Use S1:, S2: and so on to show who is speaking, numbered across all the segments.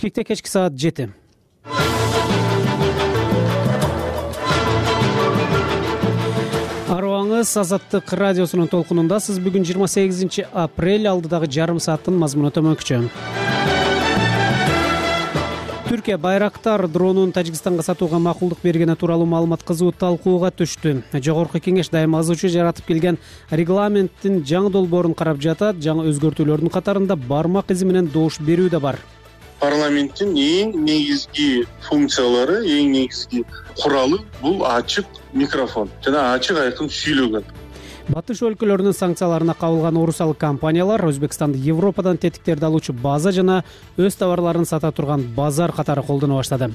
S1: Кикте кечки саат 7. Арыбаңыз Азаттык радиосунун толкунундасыз. Бүгүн 28 апрель, алдыдагы жарым сааттын мазмуну төмөнкүчө. Түркия Байрактар дронун Тажикстанга сатууга макулдук бергени тууралуу маалымат кызуу талкууга түштү. Жогорку кеңеш дайыма азырчы жаратып келген регламенттин жаңы долбоорун карап жатат. Жаңы өзгөртүүлөрдүн катарында бармак изи менен добуш берүү да бар.
S2: Парламенттин эң негизги функциялары, эң негизги куралы бул ачык микрофон жана ачык айкын сүйлөгөн.
S1: Батыш өлкөлөрүнүн санкцияларына кабылган орусалык компаниялар Өзбекстанды Европадан тетиктерди алуучу база жана өз товарларын сата турган базар катары колдоно баштады.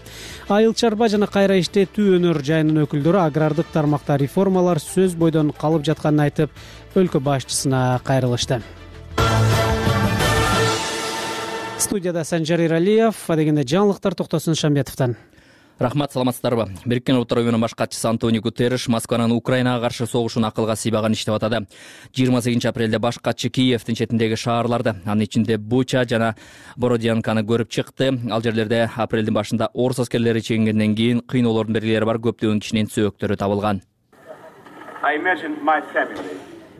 S1: Айыл чарба жана кайра иштетүү өнөр жайынын өкүлдөрү агрардык тармакта реформалар сөз бойдон калып жатканын айтып, өлкө башчысына кайрылышты. Студияда Санжар Иралиев, адегенде жаңылыктар Токтосун Шамбетовдон.
S3: Рахмат, саламатсыздарбы? Бириккен Улуттар уюмунун баш катчысы Антонио Гутерриш Москванын Украинага каршы согушун акылга сыйбаган иштеп атады. 28 апрелде баш катчы Киевдин четиндеги шаарларды, анын ичинде Буча жана Бородянканы көрүп чыкты. Ал жерлерде апрелдин башында орус аскерлери чегингенден кийин кыйноолордун белгилери бар көптөгөн кишинин сөөктөрү табылган.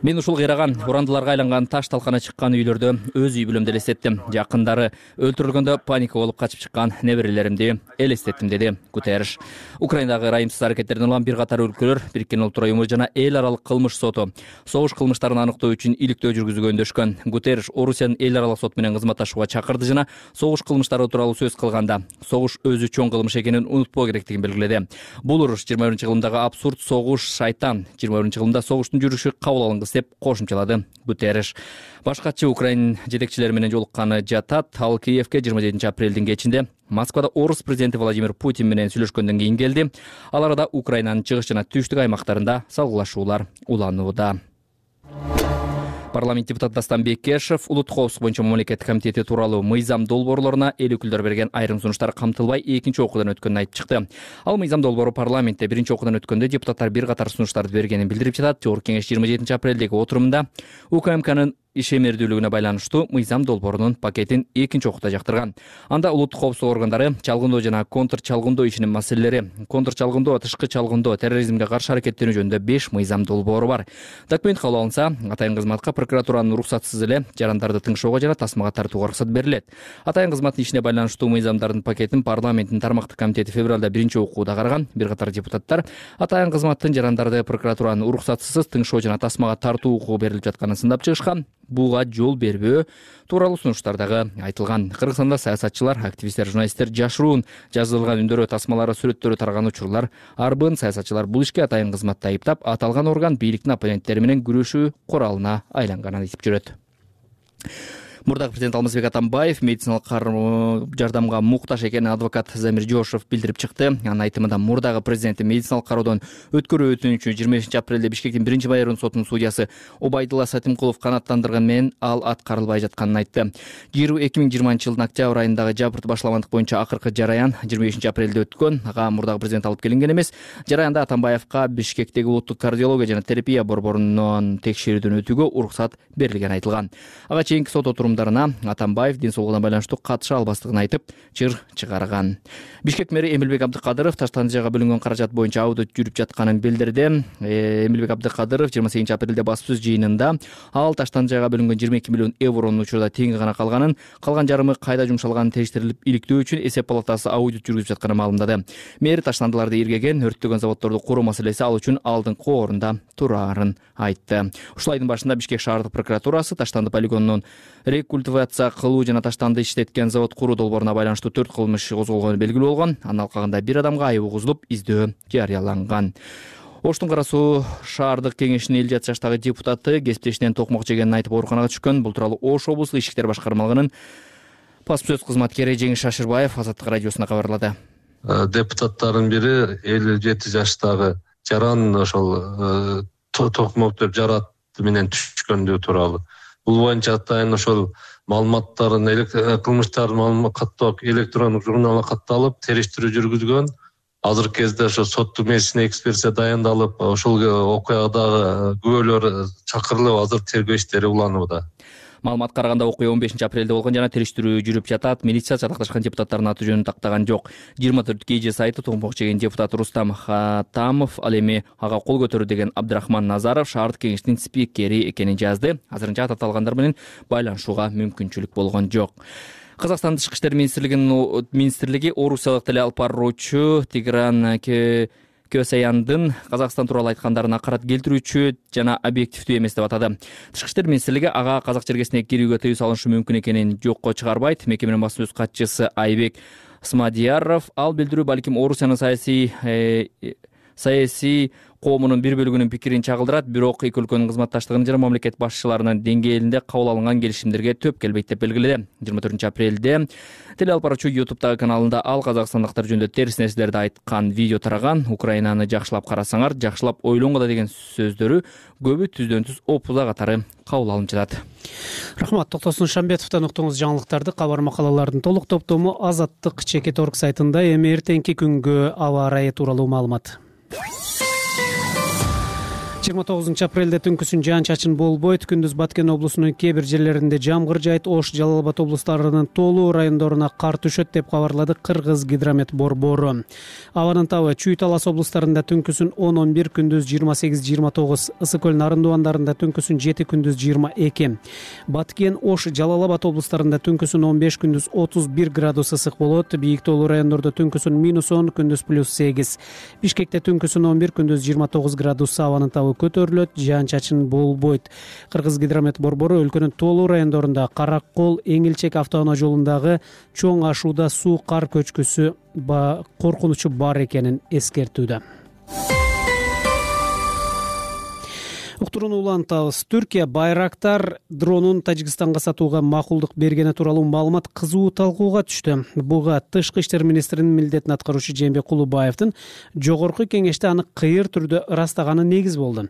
S3: Мен ушул кыйраган, урандыларга айланган таш талкана чыккан үйлөрдө өз үй бүлөмдү элестеттим. Жакындары өлтүрүлгөндө паника болуп качып чыккан неберелеримди элестеттим, деди Гутерриш. Украинадагы ырайымсыз аракеттерден улам бир катар өлкөлөр Бириккен Улуттар уюму жана эл аралык кылмыш соту согуш кылмыштарын аныктоо үчүн иликтөө жүргүзүүгө өндөшкөн. Гутерриш Орусиянын эл аралык соту менен кызматташууга чакырды жана согуш кылмыштары тууралуу сөз кылганда согуш өзү чоң кылмыш экенин унутпоо керектигин белгиледи. Бул уруш 21-жылымдагы абсурд согуш шайтан, 21-жылымда согуштун жүрүшү кабыл алынгыс деп кошумчалады Гутерриш. Баш катчы Украин жетекчилери менен жолукканы жатат. Ал Киевге 27 апрелдин кечинде Москвада орус президенти Владимир Путин менен сүйлөшкөндөн кийин келди. Ал арада Украинанын чыгыш жана түштүк аймактарында салгылашуулар уланууда. Парламент депутаты Дастан Бекешев улуттук коопсуздук боюнча мамлекеттик комитети тууралуу мыйзам долбоорлоруна эл өкүлдөрү берген айрым сунуштар камтылбай экинчи окуудан өткөнүн айтып чыкты. Ал мыйзам долбоору парламентте биринчи окуудан өткөндө депутаттар бир катар сунуштарды бергенин билдирип жатат. Жогорку кеңеш 27 апрелдеги отурумунда УКМКнын ишемердүүлүгүнө байланыштуу мыйзам долбоорунун пакетин экинчи окууда жактырган. Анда улуттук коопсуздук органдары чалгындоо жана контр чалгындоо ишинин маселелери, контр чалгындоо, тышкы чалгындоо, терроризмге каршы аракеттенүү жөнүндө 5 мыйзам долбоору бар. Документ кабыл алынса, атайын кызматка прокуратуранын уруксатсыз эле жарандарды тыңшоого жана тасмага тартууга уруксат берилет. Атайын кызматтын ишине байланыштуу мыйзамдардын пакетин парламенттин тармактык комитети февралда биринчи окууда караган. Бир катар депутаттар атайын кызматтын жарандарды прокуратуранын уруксатсыз тыңшоо жана тасмага тартуу укугу берилип жатканын сындап чыгышкан. Буга жол бербөө тууралуу сунуштардагы айтылган. Кыргызстанда саясатчылар, активисттер, журналисттер жашыруун жазылган үндөрү, тасмалары, сүрөттөрү тараган учурлар арбын. Саясатчылар бул ишке атайын кызматты айыптап, аталган орган бийликтин оппоненттери менен күрөшүү куралына айланганын айтып жүрөт. Мурдагы президент Алмазбек Атамбаев медициналык жардамга муктаж экенин адвокат Замир Жошев билдирип чыкты. Анын айтымында мурдагы президенти медициналык кароодон өткөрүү өтүнүчү 25 апрелде Бишкектин 1-майорунун сотунун судьясы Обайдулла Сатимкулов канааттандырган менен ал аткарылбай жатканын айтты. 2020 жылдын октябрь айындагы жабырт башламандык боюнча акыркы жараян 25 апрелде өткөн. Ага мурдагы президент алып келинген эмес. Жараянда Атамбаевка Бишкектеги улуттук кардиология жана терапия борборунун текшерүүдөн өтүүгө уруксат берилгени айтылган. Ага чейинки сот отурумдарына Атамбаев ден соолугуна байланыштуу катыша албастыгын айтып, чыр чыгарган. Бишкек мэри Эмилбек Абдыкадыров Таштандыжайга бөлүнгөн каражат боюнча аудит жүрүп жатканын билдирди. Эмилбек Абдыкадыров 28 апрелде баспсөз жыйынында ал Таштандыжайга бөлүнгөн 22 миллион евронун учурда теңи гана калганын, калган жарымы кайда жумшалганын териштирилип иликтөө үчүн эсеп палатасы аудит жүргүзүп жатканын маалымдады. Мэр таштандыларды иргеген, өрттөгөн заводдорду куруу маселеси ал үчүн алдыңкы орунда турарын айтты. Ушул айдын башында Бишкек шаардык прокуратурасы Таштанды полигонунун рекультивация кылуу жана Таштанды иштеткен завод куруу долбооруна байланыштуу 4 кылмыш козголгону белгилүү болгон. Анын алкагында бир адамга айып угузулуп, издөө жарыяланган. Оштун Кара Суу шаардык кеңешинин 57 жаштагы депутаты кесиптешинен токмок жегенин айтып ооруканага түшкөн. Бул тууралуу Ош облустук ички иштер башкармалыгынын баспсөз кызматкери Жеңиш Шашырбаев Азаттык радиосуна кабарлады.
S4: Депутаттардын бири 57 жаштагы жаран ошол токмок деп жарат менен түшкөндүгү тууралуу. Бул боюнча атайын ошол маалыматтарын кылмыштардын каттоо электрондук журналына катталып, териштирүү жүргүзгөн. Азыркы кезде ошо соттук медицина экспертиза дайындалып, ошол окуядагы күбөлөр чакырылып, азыр тергөө иштери уланууда.
S3: Маалыматка караганда окуя 15 апрелде болгон жана териштирүү жүрүп жатат. Милиция жатакташкан депутаттардын аты жөнүн тактаган жок. 24 сайты томпок жеген депутат Рустам Хатамов ал эми ага кол көтөрүү деген Абдрахман Назаров шаардык кеңештин спикери экенин жазды. Азырынча ат аталгандар менен байланышууга мүмкүнчүлүк болгон жок. Казакстан Тышкы иштер министрлиги орусиялык теле алып баруучу Тигран Көсаяндын Казакстан тууралуу айткандарын акырат келтирүүчү жана объективдүү эмес деп атады. Тышкы иштер министрлиги ага казак жергесине кирүүгө тыюу салышы мүмкүн экенин жокко чыгарбайт. Мекеменин басма сөз катчысы Айбек Смадияров ал билдирүү балким Орусиянын саясий коомунун бир бөлүгүнүн пикирин чагылдырат, бирок эки өлкөнүн кызматташтыгынын жана мамлекет башчыларынын деңгээлинде кабыл алынган келишимдерге төп келбейт деп белгиледи. 24 апрелде теле алып баруучу YouTube'дагы каналында ал казакстандыктар жөнүндө терс нерселерди айткан видео тараган. Украинаны жакшылап карасаңар, жакшылап ойлоңго да деген сөздөрү көбү түздөн түз опуза катары кабыл алынып жатат.
S1: Рахмат. Токтосун Шамбетовдон уктуңуз жаңылыктарды. Кабар макалалардын толук топтому Азаттык чекит орг сайтында. Эми эртеңки күнгө аба ырайы тууралуу маалымат. 29 апрелде түнкүсүн жаан-чачын болбойт. Күндүз Баткен облусунун кээ бир жерлеринде жамгыр жайт. Ош, Жалал Абад облустарынын толуу райондоруна кар түшөт деп кабарлады Кыргыз гидромет борбору. Абанын табы Чүй, Талас облустарында түнкүсүн 10-11, күндүз 28-29, Ысык көл, Нарын дубандарында түнкүсүн 7, күндүз 22. Баткен, Ош, Жалал Абад облустарында түнкүсүн 15, күндүз 31 градус ысык болот. Бийик тоолуу райондордо түнкүсүн -10, күндүз +8. Бишкекте түнкүсүн 11, күндүз 29 градус. Абанын табы көтөрүлөт, жаан-чачын болбойт. Кыргыз гидромет борбору өлкөнүн тоолуу райондорунда Каракол, Эңилчек автоунаа жолундагы чоң ашууда суу кар көчкүсү коркунучу бар экенин эскертүүдө. Уктурууну улантабыз. Түркия Байрактар дронун Тажикстанга сатууга макулдук бергени тууралуу маалымат кызуу талкууга түштү. Буга Тышкы иштер министринин милдетин аткаруучу Жээнбек Кулубаевдин жогорку кеңеште аны кыйыр түрдө ырастаганы негиз болду.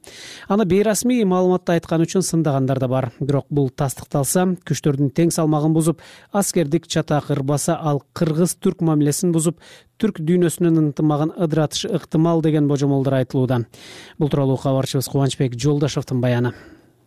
S1: Аны бейрасмий маалыматта айткан үчүн сындагандар да бар. Бирок бул тастыкталса, күчтөрдүн тең салмагын бузуп, аскердик чатак ырбаса, ал кыргыз-түрк мамилесин бузуп, түрк дүйнөсүнүн ынтымагын ыдыратышы ыктымал деген божомолдор айтылууда. Бул тууралуу кабарчыбыз Кубанычбек Жолдашевдин баяны.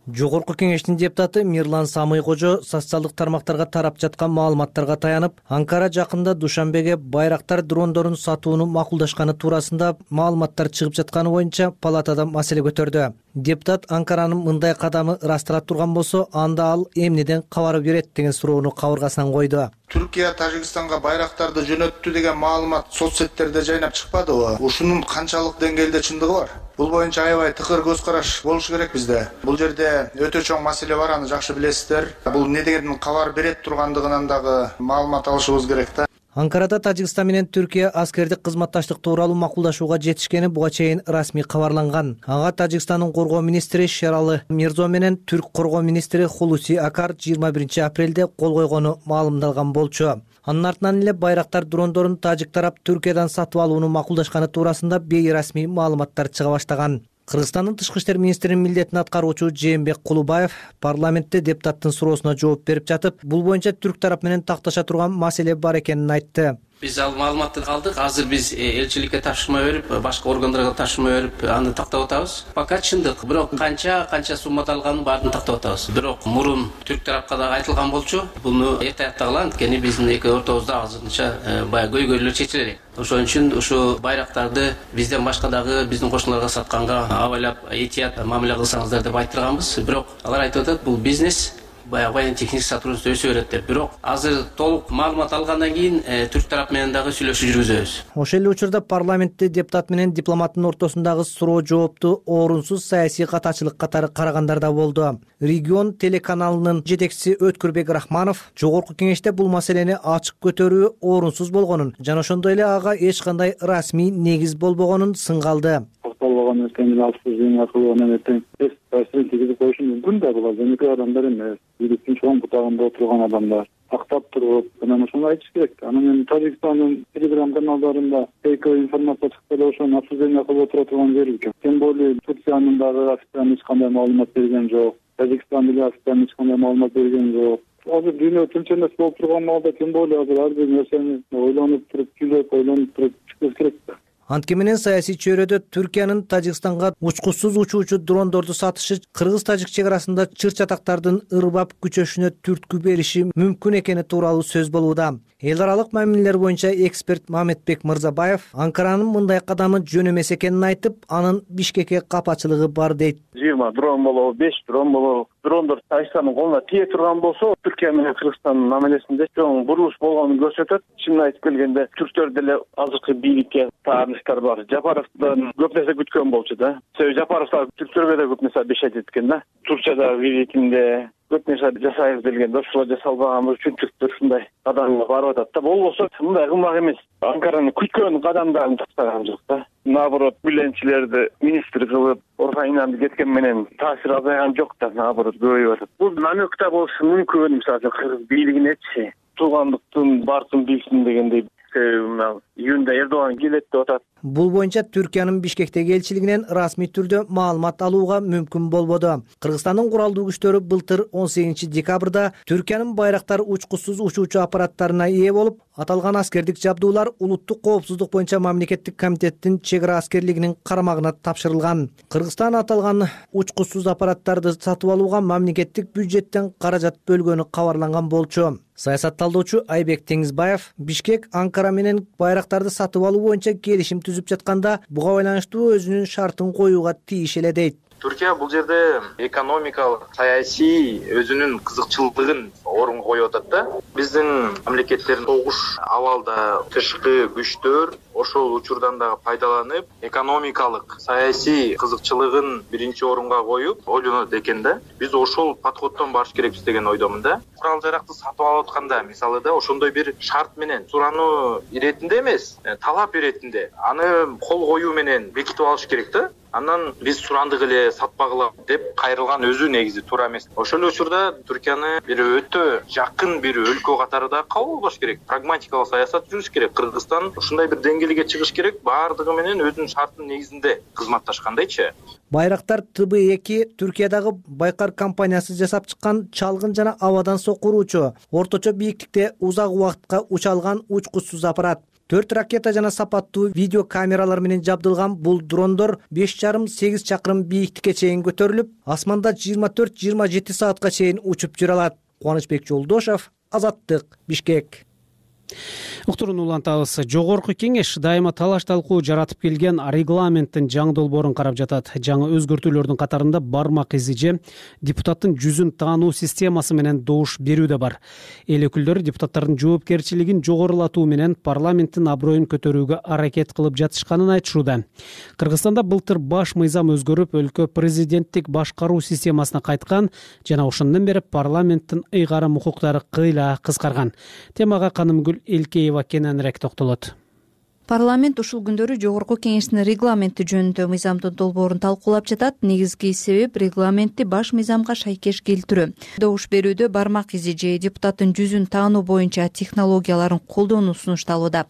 S5: Жогорку кеңештин депутаты Мирлан Самый-Кожо социалдык тармактарга тарап жаткан маалыматтарга таянып, Анкара жакында Душанбеге Байрактар дрондорун сатууну макулдашканы туурасында маалыматтар чыгып жатканы боюнча палатада маселе көтөрдү. Депутат Анкаранын мындай кадамы ырастыра турган болсо, анда ал эмнеден кабар берет деген суроону кабыргасынан койду.
S6: Түркия Тажикстанга байрактарды жөнөттү деген маалымат соцсеттерде жайнап чыкпадыбы? Ушунун канчалык деңгээлде чындыгы бар? Бул боюнча аябай тыкыр көз караш болушу керек бизде. Бул жерде өтө чоң маселе бар, аны жакшы билесиздер. Бул не деген кабар берет тургандыгынан дагы маалымат алышыбыз керек да.
S5: Анкарада Тажикстан менен Түркия аскердик кызматташтык тууралуу макулдашууга жетишкени буга чейин расмий кабарланган. Ага Тажикстандын коргоо министри Шералы Мирзо менен түрк коргоо министри Хулуси Акар 21 апрелде кол койгону маалымдалган болчу. Анын артынан эле Байрактар дрондорун тажик тарап Түркиядан сатып алууну макулдашканы туурасында бейрасмий маалыматтар чыга баштаган. Кыргызстандын Тышкы иштер министринин милдетин аткаруучу Жээнбек Кулубаев парламентте депутаттын суроосуна жооп берип жатып, бул боюнча түрк тарап менен такташа турган маселе бар экенин айтты.
S7: Биз ал маалыматты алдык. Азыр биз элчиликке тапшырма берип, башка органдарга тапшырма берип, аны тактап атабыз. Пока чындык. Бирок канча суммада алганын баарын тактап атабыз. Бирок мурун түрк тарапка да айтылган болчу. Буну эрте аяктагыла, анткени биздин эки ортобузда азырынча баягы көйгөйлөр чечиле элек. Ошон үчүн ушу байрактарды бизден башка дагы биздин кошуналарга сатканга абайлап этият мамиле кылсаңыздар деп айттырганбыз. Бирок алар айтып атат, бул бизнес. Баягы техник сотрудничество өсө берет деп. Бирок азыр толук маалымат алгандан кийин түрк тарап менен дагы сүйлөшүү жүргүзөбүз.
S5: Ошол эле учурда парламентте депутат менен дипломаттын ортосундагы суроо жоопту орунсуз саясий катачылык катары карагандар да болду. Регион телеканалынын жетекчиси Өткүрбек Рахманов жогорку кеңеште бул маселени ачык көтөрүү орунсуз болгонун жана ошондой эле ага эч кандай расмий негиз болбогонун сынгалды.
S8: Болбогон эртең алсыз аркылуу эртең таасирин тийгизип коюшу мүмкүн да, булар жөнөкөй адамдар эмес. Бийликтин чоң бутагында отурган адамдар актап туруп, анан ошону айтыш керек. Анан мен Тажикстандын телеграм каналдарында фейковый информация чыкса да ошону обсуждение кылып отура турган жери жок. Тем более Турциянын дагы официально эч кандай маалымат берген жок. Тажикстан деле официально эч кандай маалымат берген жок. Азыр дүйнө тынчсыз болуп турган маалда тем более азыр ар бир нерсени ойлонуп туруп, ойлонуп туруп чыгыш керек да.
S5: Анткени менен саясий чөйрөдө Түркиянын Тажикстанга учкучсуз учуучу дрондорду сатышы кыргыз-тажик чек арасында чыр-чатактардын ырбап күчөшүнө түрткү бериши мүмкүн экени тууралуу сөз болууда. Эл аралык мамилелер боюнча эксперт Мамедбек Мырзабаев Анкаранын мындай кадамы жөн эмес экенин айтып, анын Бишкекке капачылыгы бар дейт.
S9: 20 дрон болобу, 5 дрон болобу, дрондор Тажикстандын колуна тие турган болсо, Түркия менен Кыргызстандын мамилесинде чоң бурулуш болгонун көрсөтөт. Чынын айтып келгенде, түрктөр деле азыркы бийликке тааныштар бар. Жапаровдон көп нерсе күткөн болчу да. Себеби Жапаров түрктөргө да көп нерсе обещать эткен да. Туркиядагы визитинде көп нерсе жасайбыз делгенде, ошолор жасалбаган үчүн түрктөр ушундай кадамга барып атат да. Болбосо мындай кылмак эмес. Анкаранын күткөн кадамдарын тактаган жок да. Наоборот, бүленчилерди министр кылып, Орхайнанды кеткен менен таасир азайган жок да, наоборот көбөйүп атат. Бул намекта болушу мүмкүн, мисалы Кыргыз бийлигинечи туугандыктын бартын билсин дегендей. Июнда Эрдоган келет деп атат.
S5: Бул боюнча Түркиянын Бишкектеги элчилигинен расмий түрдө маалымат алууга мүмкүн болбоду. Кыргызстандын куралдуу күчтөрү былтыр 18-декабрда Түркиянын байрактар учкучсуз учуучу аппараттарына ээ болуп, аталган аскердик жабдуулар улуттук коопсуздук боюнча мамлекеттик комитеттин чек ара аскерлигинин карамагына тапшырылган. Кыргызстан аталган учкучсуз аппараттарды сатып алууга мамлекеттик бюджеттен каражат бөлгөнү кабарланган болчу. Саясатталдоочу Айбек Теңизбаев Бишкек Анкара менен байрактарды сатып алуу боюнча келишим түзүп жатканда буга байланыштуу өзүнүн шартын коюуга тийиш эле дейт.
S10: Түркия бул жерде экономикалык, саясий өзүнүн кызыкчылыгын орунга коюп атат да. Биздин мамлекеттердин согуш абалда тышкы күчтөр ошол учурдан дагы пайдаланып, экономикалык, саясий кызыкчылыгын биринчи орунга коюп, ойлонот экен да. Биз ошол подходдон барыш керекпиз деген ойдомун да. Курал жаракты сатып алып атканда, мисалы да, ошондой бир шарт менен сурануу иретинде эмес, талап иретинде аны кол коюу менен бекитип алыш керек да. Андан биз сурандык эле сатпагыла деп кайрылган өзү негизи туура эмес. Ошол учурда Түркияны бир өтө жакын бир өлкө катарында кабыл алыш керек. Прагматикалык саясат жүрүш керек. Кыргызстан ушундай бир деңгээлге чыгыш керек, баардыгы менен өзүнүн шартынын негизинде кызматташкандайчы.
S5: Байрактар ТБ2 Түркиядагы Байкар компаниясы жасап чыккан чалгын жана абадан сокуруучу, орточо бийиктикте узак убакытка уча алган учкучсуз аппарат. 4 ракета жана сапаттуу видео камералар менен жабдылган бул дрондор 5,5-8 чакырым бийиктикке чейин көтөрүлүп, асманда 24-27 саатка чейин учуп жүрө алат. Кубанычбек Жолдошов, Азаттык, Бишкек.
S1: Уктурууну улантабыз. Жогорку кеңеш дайыма талаш талкуу жаратып келген регламенттин жаңы долбоорун карап жатат. Жаңы өзгөртүүлөрдүн катарында бармак изи же депутаттын жүзүн таануу системасы менен добуш берүү да бар. Эл өкүлдөрү депутаттардын жоопкерчилигин жогорулатуу менен парламенттин аброюн көтөрүүгө аракет кылып жатышканын айтышууда. Кыргызстанда былтыр баш мыйзам өзгөрүп, өлкө президенттик башкаруу системасына кайткан жана ошондон бери парламенттин ыйгарым укуктары кыйла кыскарган. Темага Канымгүл Элкеева кененирээк токтолот.
S11: Парламент ушул күндөрү жогорку кеңештин регламенти жөнүндө мыйзамдын долбоорун талкуулап жатат. Негизги себеп регламентти баш мыйзамга шайкеш келтирүү. Добуш берүүдө бармак изи же депутаттын жүзүн таануу боюнча технологияларын колдонуу сунушталууда.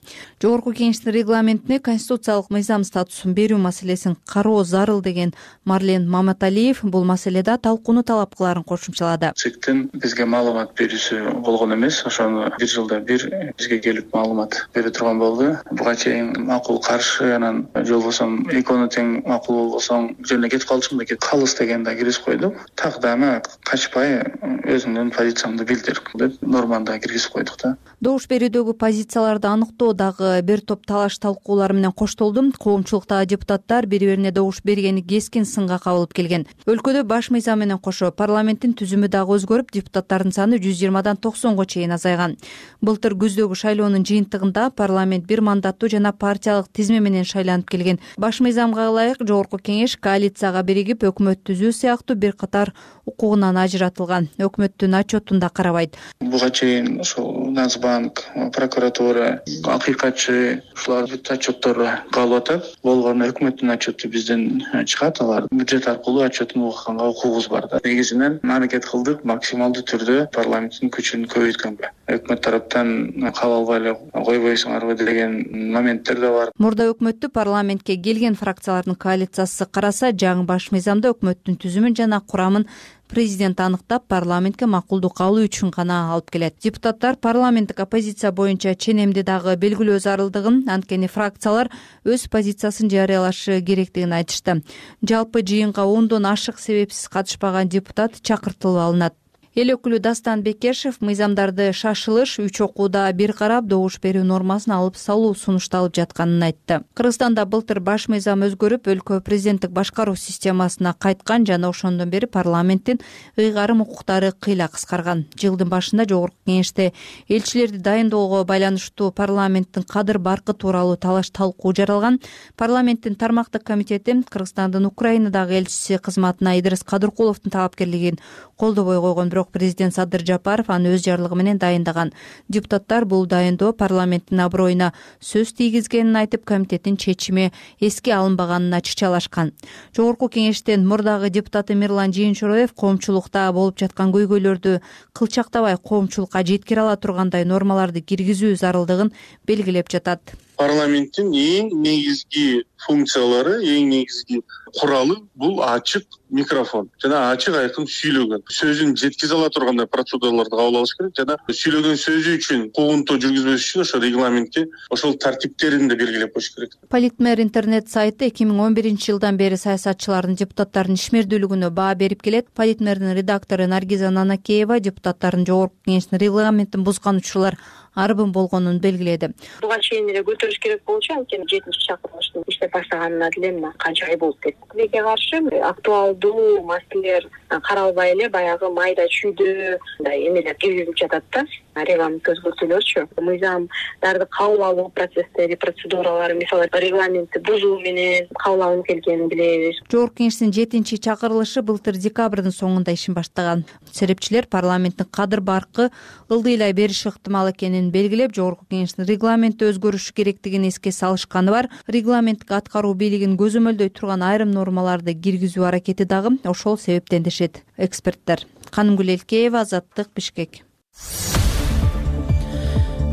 S11: Жогорку кеңештин регламентине конституциялык мыйзам статусун берүү маселесин кароо зарыл деген Марлен Маматалиев бул маселеде талкууну талап кыларын кошумчалады.
S12: ЦИКтин бизге маалымат берүүсү болгон эмес, ошону бир жылда бир бизге келип маалымат бере турган болду. Буга макул каршы, анан жолбосом экөөнү тең макул болбосоң жөнүнө кетип калчумун деп калыс дегенде киргизип койдук. Так дагы качпай өзүмдүн позициямды билдирип деп нормада киргизип койдук да.
S11: Добуш берүүдөгү позицияларды аныктоо дагы бир топ талаш талкуулар менен коштолду. Коомчулуктагы депутаттар бири-бирине добуш бергени кескин сынга кабылып келген. Өлкөдө баш мыйзам менен кошо парламенттин түзүмү дагы өзгөрүп, депутаттардын саны 120дан 90го чейин азайган. Былтыр күздөгү шайлоонун жыйынтыгында парламент бир мандаттуу жана партиялык тизме менен шайланып келген. Баш мыйзамга ылайык жогорку кеңеш коалицияга биригип өкмөт түзүү сыяктуу бир катар укугунан ажыратылган. Өкмөттүн отчетун да карабайт.
S12: Буга чейин ошол Нацбанк, прокуратура, акыйкатчы ушулар бүт отчеттору калып атат. Болгону өкмөттүн отчету бизден чыгат, алар бюджет аркылуу отчетун укканга укугубуз бар да. Негизинен аракет кылдык максималдуу түрдө парламенттин күчүн көбөйткөнгө. Өкмөт тараптан кабыл албай эле койбойсуңарбы деген моменттер да бар.
S11: Мурда өкмөттү парламентке келген фракциялардын коалициясы караса, жаңы баш мыйзамда өкмөттүн түзүмүн жана курамын президент аныктап парламентке макулдук алуу үчүн гана алып келет. Депутаттар парламенттик оппозиция боюнча ченемди дагы белгилөө зарылдыгын, анткени фракциялар өз позициясын жарыялашы керектигин айтышты. Жалпы жыйынга 10дон ашык себепсиз катышпаган депутат чакыртылып алынат. Эл өкүлү Дастан Бекешев мыйзамдарды шашылыш 3 окууда бир карап добуш берүү нормасын алып салуу сунушталып жатканын айтты. Кыргызстанда былтыр баш мыйзам өзгөрүп, өлкө президенттик башкаруу системасына кайткан жана ошондон бери парламенттин ыйгарым укуктары кыйла кыскарган. Жылдын башында Жогорку Кеңеште элчилерди дайындоого байланыштуу парламенттин кадыр баркы тууралуу талаш талкуу жаралган. Парламенттин тармактык комитети Кыргызстандын Украинадагы элчиси кызматына Идрис Кадыркуловдун талапкерлигин колдобой койгон, бирок президент Садыр Жапаров аны өз жарлыгы менен дайындаган. Депутаттар бул дайындоо парламенттин аброюна сөз тийгизгенин айтып, комитеттин чечими эске алынбаганын ачыкчалашкан. Жогорку Кеңештин мурдагы депутаты Мирлан Жыйынчороев коомчулукта болуп жаткан көйгөйлөрдү кылчактабай коомчулукка жеткире ала тургандай нормаларды киргизүү зарылдыгын белгилеп жатат.
S2: Парламенттин эң негизги функциялары, эң негизги куралы бул ачык микрофон жана ачык айкын сүйлөгөн. Сөзүн жеткизе ала тургандай процедураларды кабыл алыш керек жана сүйлөгөн сөзү үчүн куугунтуу жүргүзбөш үчүн ошо регламентке ошол тартиптерин да белгилеп коюш керек.
S11: Политмер интернет сайты 2011-жылдан бери саясатчылардын депутаттардын ишмердүүлүгүнө баа берип келет. Политмердин редактору Наргиза Нанакеева депутаттардын Жогорку Кеңештин регламентин бузган учурлар арбын болгонун белгиледи.
S13: Буга чейин эле көтөрүш керек болчу, анткени 7-чакырылыштын иштеп баштаганына деле мына канча ай болуп кетти. Тилекке каршы актуалдуу маселелер каралбай эле баягы майда чүйдө эмелер киргизилип жатат да. Регламент өзгөртүүлөрчү. Мыйзамдарды кабыл алуу процесстери, процедуралары, мисалы регламентти бузуу менен кабыл алынып келгенин билебиз.
S11: Жогорку Кеңештин 7-чакырылышы былтыр декабрдын соңунда ишин баштаган. Серепчилер парламенттин кадыр баркы ылдыйлай бериши ыктымал экенин белгилеп, Жогорку Кеңештин регламенти өзгөрүшү керектигин эске салышканы бар. Регламенттик аткаруу бийлигин көзөмөлдөй турган айрым нормаларды киргизүү аракети дагы ошол себептен дешет эксперттер. Канымгүл Элкеева, Азаттык, Бишкек.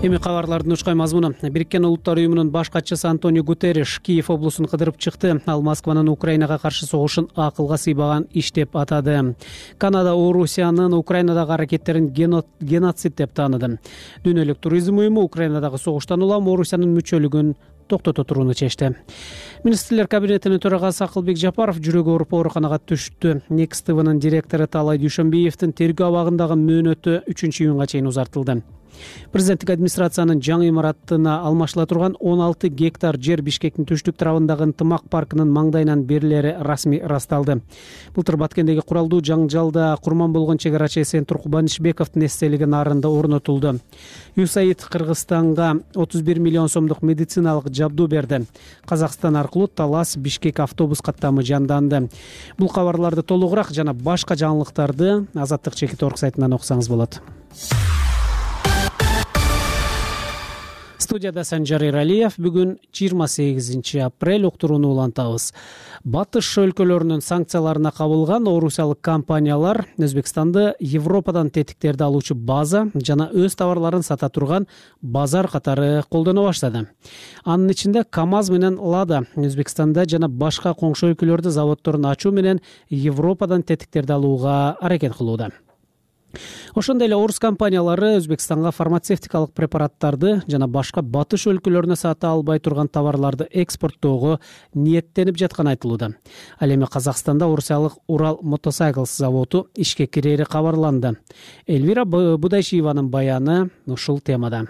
S1: Эми кабарлардын учкай мазмуну. Бириккен Улуттар уюмунун баш катчысы Антонио Гутерриш Киев облусун кыдырып чыкты. Ал Москванын Украинага каршы согушун акылга сыйбаган иш деп атады. Канада Орусиянын Украинадагы аракеттерин геноцид деп тааныды. Дүйнөлүк туризм уюму Украинадагы согуштан улам Орусиянын мүчөлүгүн токтото турууну чечти. Министрлер кабинетинин төрагасы Акылбек Жапаров жүрөгү ооруп ооруканага түштү. Next TV'нын директору Талай Дүйшөнбиевдин тергөө абагындагы мөөнөтү 3-июнга чейин узартылды. Президенттик администрациянын жаңы имараттына алмашыла турган 16 гектар жер Бишкектин түштүк тарабындагы ынтымак паркынын маңдайынан берилери расмий ырасталды. Былтыр Баткендеги куралдуу жаңжалда курман болгон чек арачы Эсен Туркубанишбековдун эстелиги нарында орнотулду. USAID Кыргызстанга 31 миллион сомдук медициналык жабдуу берди. Казакстан аркылуу Талас Бишкек автобус каттамы жанданды. Бул кабарларды толугураак жана башка жаңылыктарды Азаттык Чекит.org сайтынан окусаңыз болот. Студияда Санжар Иралиев. Бүгүн 28 апрель уктурууну улантабыз. Батыш өлкөлөрүнүн санкцияларына кабылган орусиялык компаниялар Өзбекстанды Европадан тетиктерди алуучу база жана өз товарларын сата турган базар катары колдоно баштады. Анын ичинде КАМАЗ менен Лада Өзбекстанда жана башка коңшу өлкөлөрдө заводдорун ачуу менен Европадан тетиктерди алууга аракет кылууда. Ошондой эле орус компаниялары Өзбекстанга фармацевтикалык препараттарды жана башка батыш өлкөлөрүнө сата албай турган товарларды экспорттоого ниеттенип жатканы айтылууда. Ал эми Казакстанда орусиялык Урал Мотоcycles заводу ишке кирери кабарланды. Эльвира Будайшиеванын баяны ушул темада.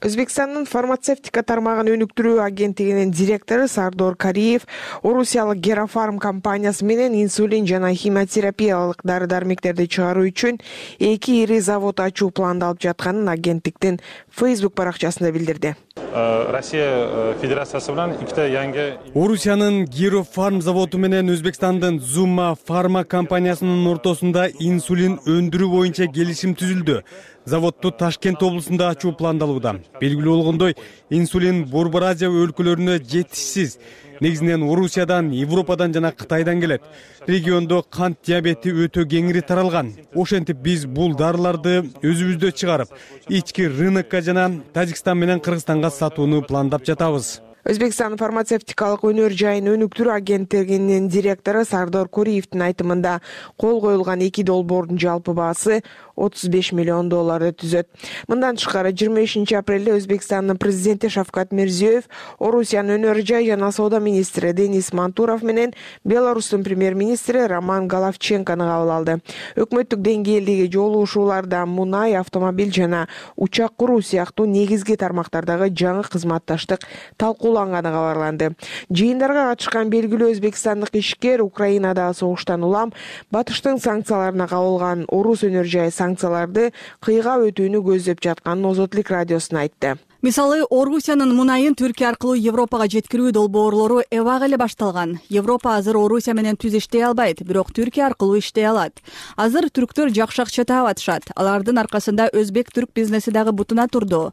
S14: Өзбекстандын фармацевтика тармагын өнүктүрүү агенттигинин директору Сардор Кариев орусиялык Герафарм компаниясы менен инсулин жана химиотерапиялык дары-дармектерди чыгаруу үчүн 2 ири завод ачуу пландалып жатканын агенттиктин Facebook баракчасында билдирди.
S15: Россия Федерациясы менен ikkita yangi
S16: Орусиянын Герафарм заводу менен Өзбекстандын Zuma Pharma компаниясынын ортосунда инсулин өндүрүү боюнча келишим түзүлдү. Заводду Ташкент облусунда ачуу пландалууда. Белгилүү болгондой, инсулин Борбор Азия өлкөлөрүнө жетишсиз. Негизинен Орусиядан, Европадан жана Кытайдан келет. Региондо кант диабети өтө кеңири таралган. Ошентип биз бул дарыларды өзүбүздө чыгарып, ички рынокко жана Тажикстан менен Кыргызстанга сатууну пландап жатабыз.
S14: Өзбекстан фармацевтикалык өнөр жайын өнүктүрүү агенттигинин директору Сардор Кориевдин айтымында кол коюлган 2 долбоордун жалпы баасы $35 миллион түзөт. Мындан тышкары 25 апрелде Өзбекстандын президенти Шавкат Мирзиёев Орусиянын өнөр жай жана соода министри Денис Мантуров менен Беларустун премьер-министри Роман Головченкону кабыл алды. Өкмөттүк деңгээлдеги жолугушууларда мунай, автомобиль жана учак куруу сыяктуу негизги тармактардагы жаңы кызматташтык талкууланганы кабарланды. Жыйындарга катышкан белгилүү өзбекстандык ишкер Украинадагы согуштан улам Батыштын санкцияларына кабылган орус өнөр жай санкцияларды кыйгап өтүүнү көздөп жатканын Озотлук радиосуна айтты.
S17: Мисалы, Орусиянын мунайын Түркия аркылуу Европага жеткирүү долбоорлору эбак эле башталган. Европа азыр Орусия менен түз иштей албайт, бирок Түркия аркылуу иштей алат. Азыр түрктөр жакшы акча таап атышат. Алардын аркасында өзбек-түрк бизнеси дагы бутуна турду.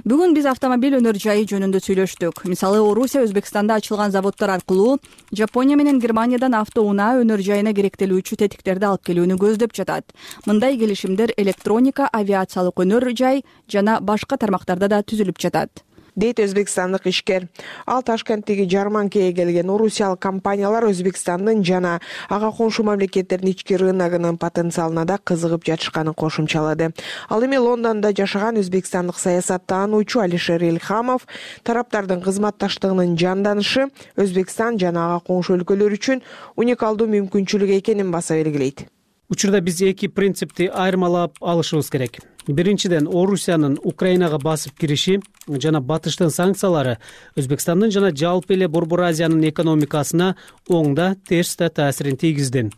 S17: Бүгүн биз автомобиль өнөр жайы жөнүндө сүйлөштүк. Мисалы, Орусия Өзбекстанда ачылган заводдор аркылуу Жапония менен Германиядан автоунаа өнөр жайына керектелүүчү тетиктерди алып келүүнү көздөп жатат. Мындай келишимдер электроника, авиациялык өнөр жай жана башка тармактарда да түзүлүп жатат,
S14: дейт өзбекстандык ишкер. Ал Ташкенттеги жарманкеге келген орусиялык компаниялар Өзбекстандын жана ага коңшу мамлекеттердин ички рыногунун потенциалына да кызыгып жатышканын кошумчалады. Ал эми Лондондо жашаган өзбекстандык саясаттануучу Алишер Элхамов тараптардын кызматташтыгынын жанданышы Өзбекстан жана ага коңшу өлкөлөр үчүн уникалдуу мүмкүнчүлүк экенин баса белгилейт.
S1: Учурда биз эки принципти айырмалап алышыбыз керек. Биринчиден, Орусиянын Украинага басып кириши жана Батыштын санкциялары Өзбекстандын жана жалпы эле Борбор Азиянын экономикасына оң да, терс да таасирин тийгизди.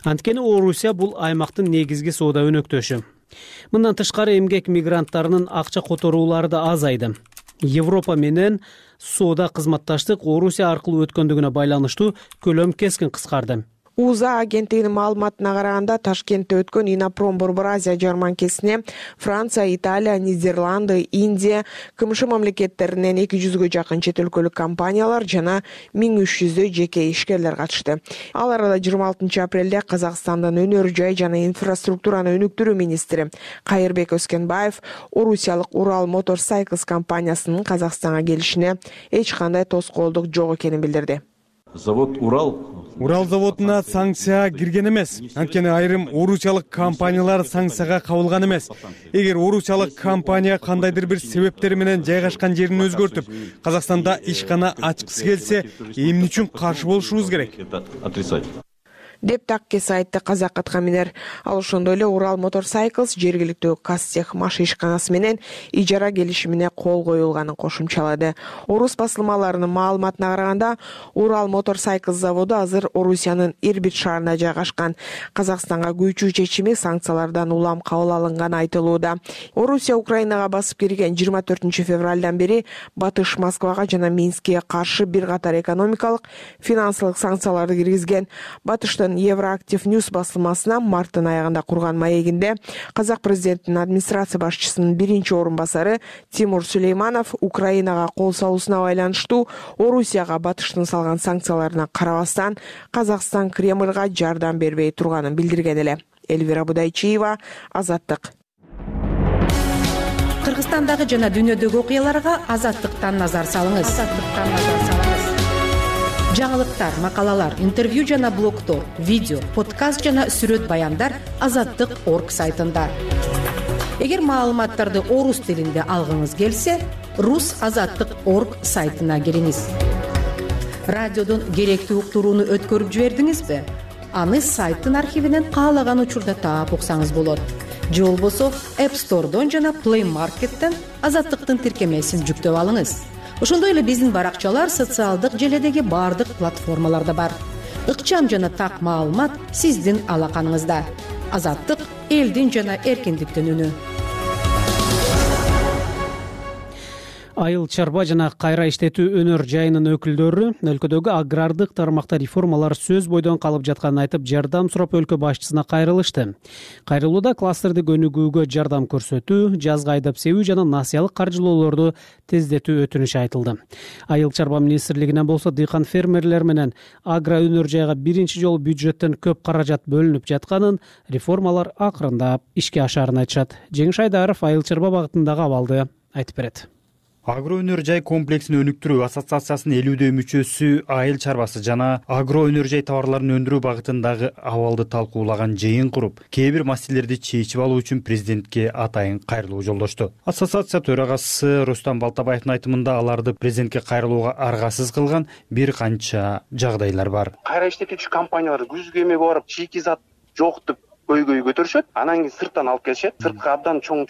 S1: Анткени Орусия бул аймактын негизги соода өнөктөшү. Мындан тышкары эмгек мигранттарынын акча которуулары да азайды. Европа менен соода кызматташтык Орусия аркылуу өткөндүгүнө байланыштуу көлөм кескин кыскарды.
S14: УЗА агенттигинин маалыматына караганда Ташкентте өткөн Инопром Борбор Азия жарманкесине Франция, Италия, Нидерланды, Индия, КМШ мамлекеттеринен 200гө жакын чет өлкөлүк компаниялар жана 1300 жеке ишкерлер катышты. Ал арада 26 апрелде Казакстандын өнөр жай жана инфраструктураны өнүктүрүү министри Кайырбек Өскенбаев орусиялык Урал Motorcycles компаниясынын Казакстанга келишине эч кандай тоскоолдук жок экенин билдирди.
S18: Завод
S16: Урал заводуна санкция кирген эмес. Анткени айрым орусиялык компаниялар санкцияга кабылган эмес. Эгер орусиялык компания кандайдыр бир себептер менен жайгашкан жерин өзгөртүп, Казакстанда ишкана ачкысы келсе, эмне үчүн каршы болушубуз керек?
S14: деп таккес айтты казак аткаминер. Ал ошондой эле Урал Motorcycles жергиликтүү Казтех маш ишканасы менен ижара келишимине кол коюлганын кошумчалады. Орус басылмаларынын маалыматына караганда, Урал Motorcycles заводу азыр Орусиянын Ирбит шаарында жайгашкан. Казакстанга күйчүү чечими санкциялардан улам кабыл алынганы айтылууда. Орусия Украинага басып кирген 24 февралдан бери Батыш Москвага жана Минскке каршы бир катар экономикалык, финансылык санкцияларды киргизген. Батыштын Евроактив Ньюс басылмасына марттын аягында курган маегинде казак президентинин администрация башчысынын биринчи орун басары Тимур Сулейманов Украинага кол салуусуна байланыштуу Орусияга Батыштын салган санкцияларына карабастан Казакстан Кремльга жардам бербей турганын билдирген эле. Эльвира Будайчиева, Азаттык.
S19: Кыргызстандагы жана дүйнөдөгү окуяларга Азаттыктан назар салыңыз. Жаңылыктар, макалалар, интервью жана блогдор, видео, подкаст жана сүрөт баяндар Азаттык.орг сайтында. Эгер маалыматтарды орус тилинде алгыңыз келсе, rusazаттык.орг сайтына кириңиз. Радиодон керектүү уктурууну өткөрүп жибердиңизби? Аны сайттын архивинен каалаган учурда таап уксаңыз болот. Же болбосо App Store'дон жана Play Market'тен Азаттыктын тиркемесин жүктөп алыңыз. Ошондой эле биздин баракчалар социалдык желедеги бардык платформаларда бар. Ыкчам жана так маалымат сиздин алаканыңызда. Азаттык — элдин жана эркиндиктин үнү.
S1: Айыл чарба жана кайра иштетүү өнөр жайынын өкүлдөрү өлкөдөгү агрардык тармакта реформалар сөз бойдон калып жатканын айтып, жардам сурап өлкө башчысына кайрылышты. Кайрылууда кластердик өнүгүүгө жардам көрсөтүү, жазга айдап себүү жана насыялык каржылоолорду тездетүү өтүнүшү айтылды. Айыл чарба министрлигинен болсо дыйкан фермерлер менен агро өнөр жайга биринчи жолу бюджеттен көп каражат бөлүнүп жатканын, реформалар акырындап ишке ашарын айтышат. Жеңиш Айдаров айыл чарба багытындагы абалды айтып берет.
S16: Агро өнөр жай комплексин өнүктүрүү ассоциациясынын 50 мүчөсү айыл чарбасы жана агро өнөр жай товарларын өндүрүү багытындагы абалды талкуулаган жыйын куруп, кээ бир маселелерди чечип алуу үчүн президентке атайын кайрылуу жолдошту. Ассоциация төрагасы Рустам Балтабаевдин айтымында аларды президентке кайрылууга аргасыз кылган бир канча жагдайлар бар.
S18: Кайра иштетүүчү компаниялар күзгү эмеге барып шикизат жок деп көйгөй көтөрүшөт, анан кийин сырттан алып келишет, сыртка абдан чоң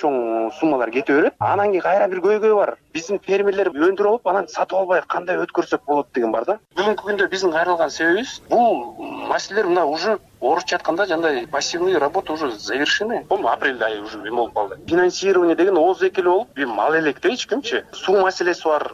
S18: суммалар кете берет, анан кийин кайра бир көйгөй бар. Биздин фермерлер өндүрүп алып, анан сатып албай кандай өткөрсөк болот деген бар да. Бүгүнкү күндө биздин кайрылган себебибиз бул маселелер мына уже орусча айтканда жандай пассивный работа уже завершены. Бул апрель айы уже эме болуп калды. Финансирование деген ооз экели болуп, мал элек эч кимчи. Суу маселеси бар.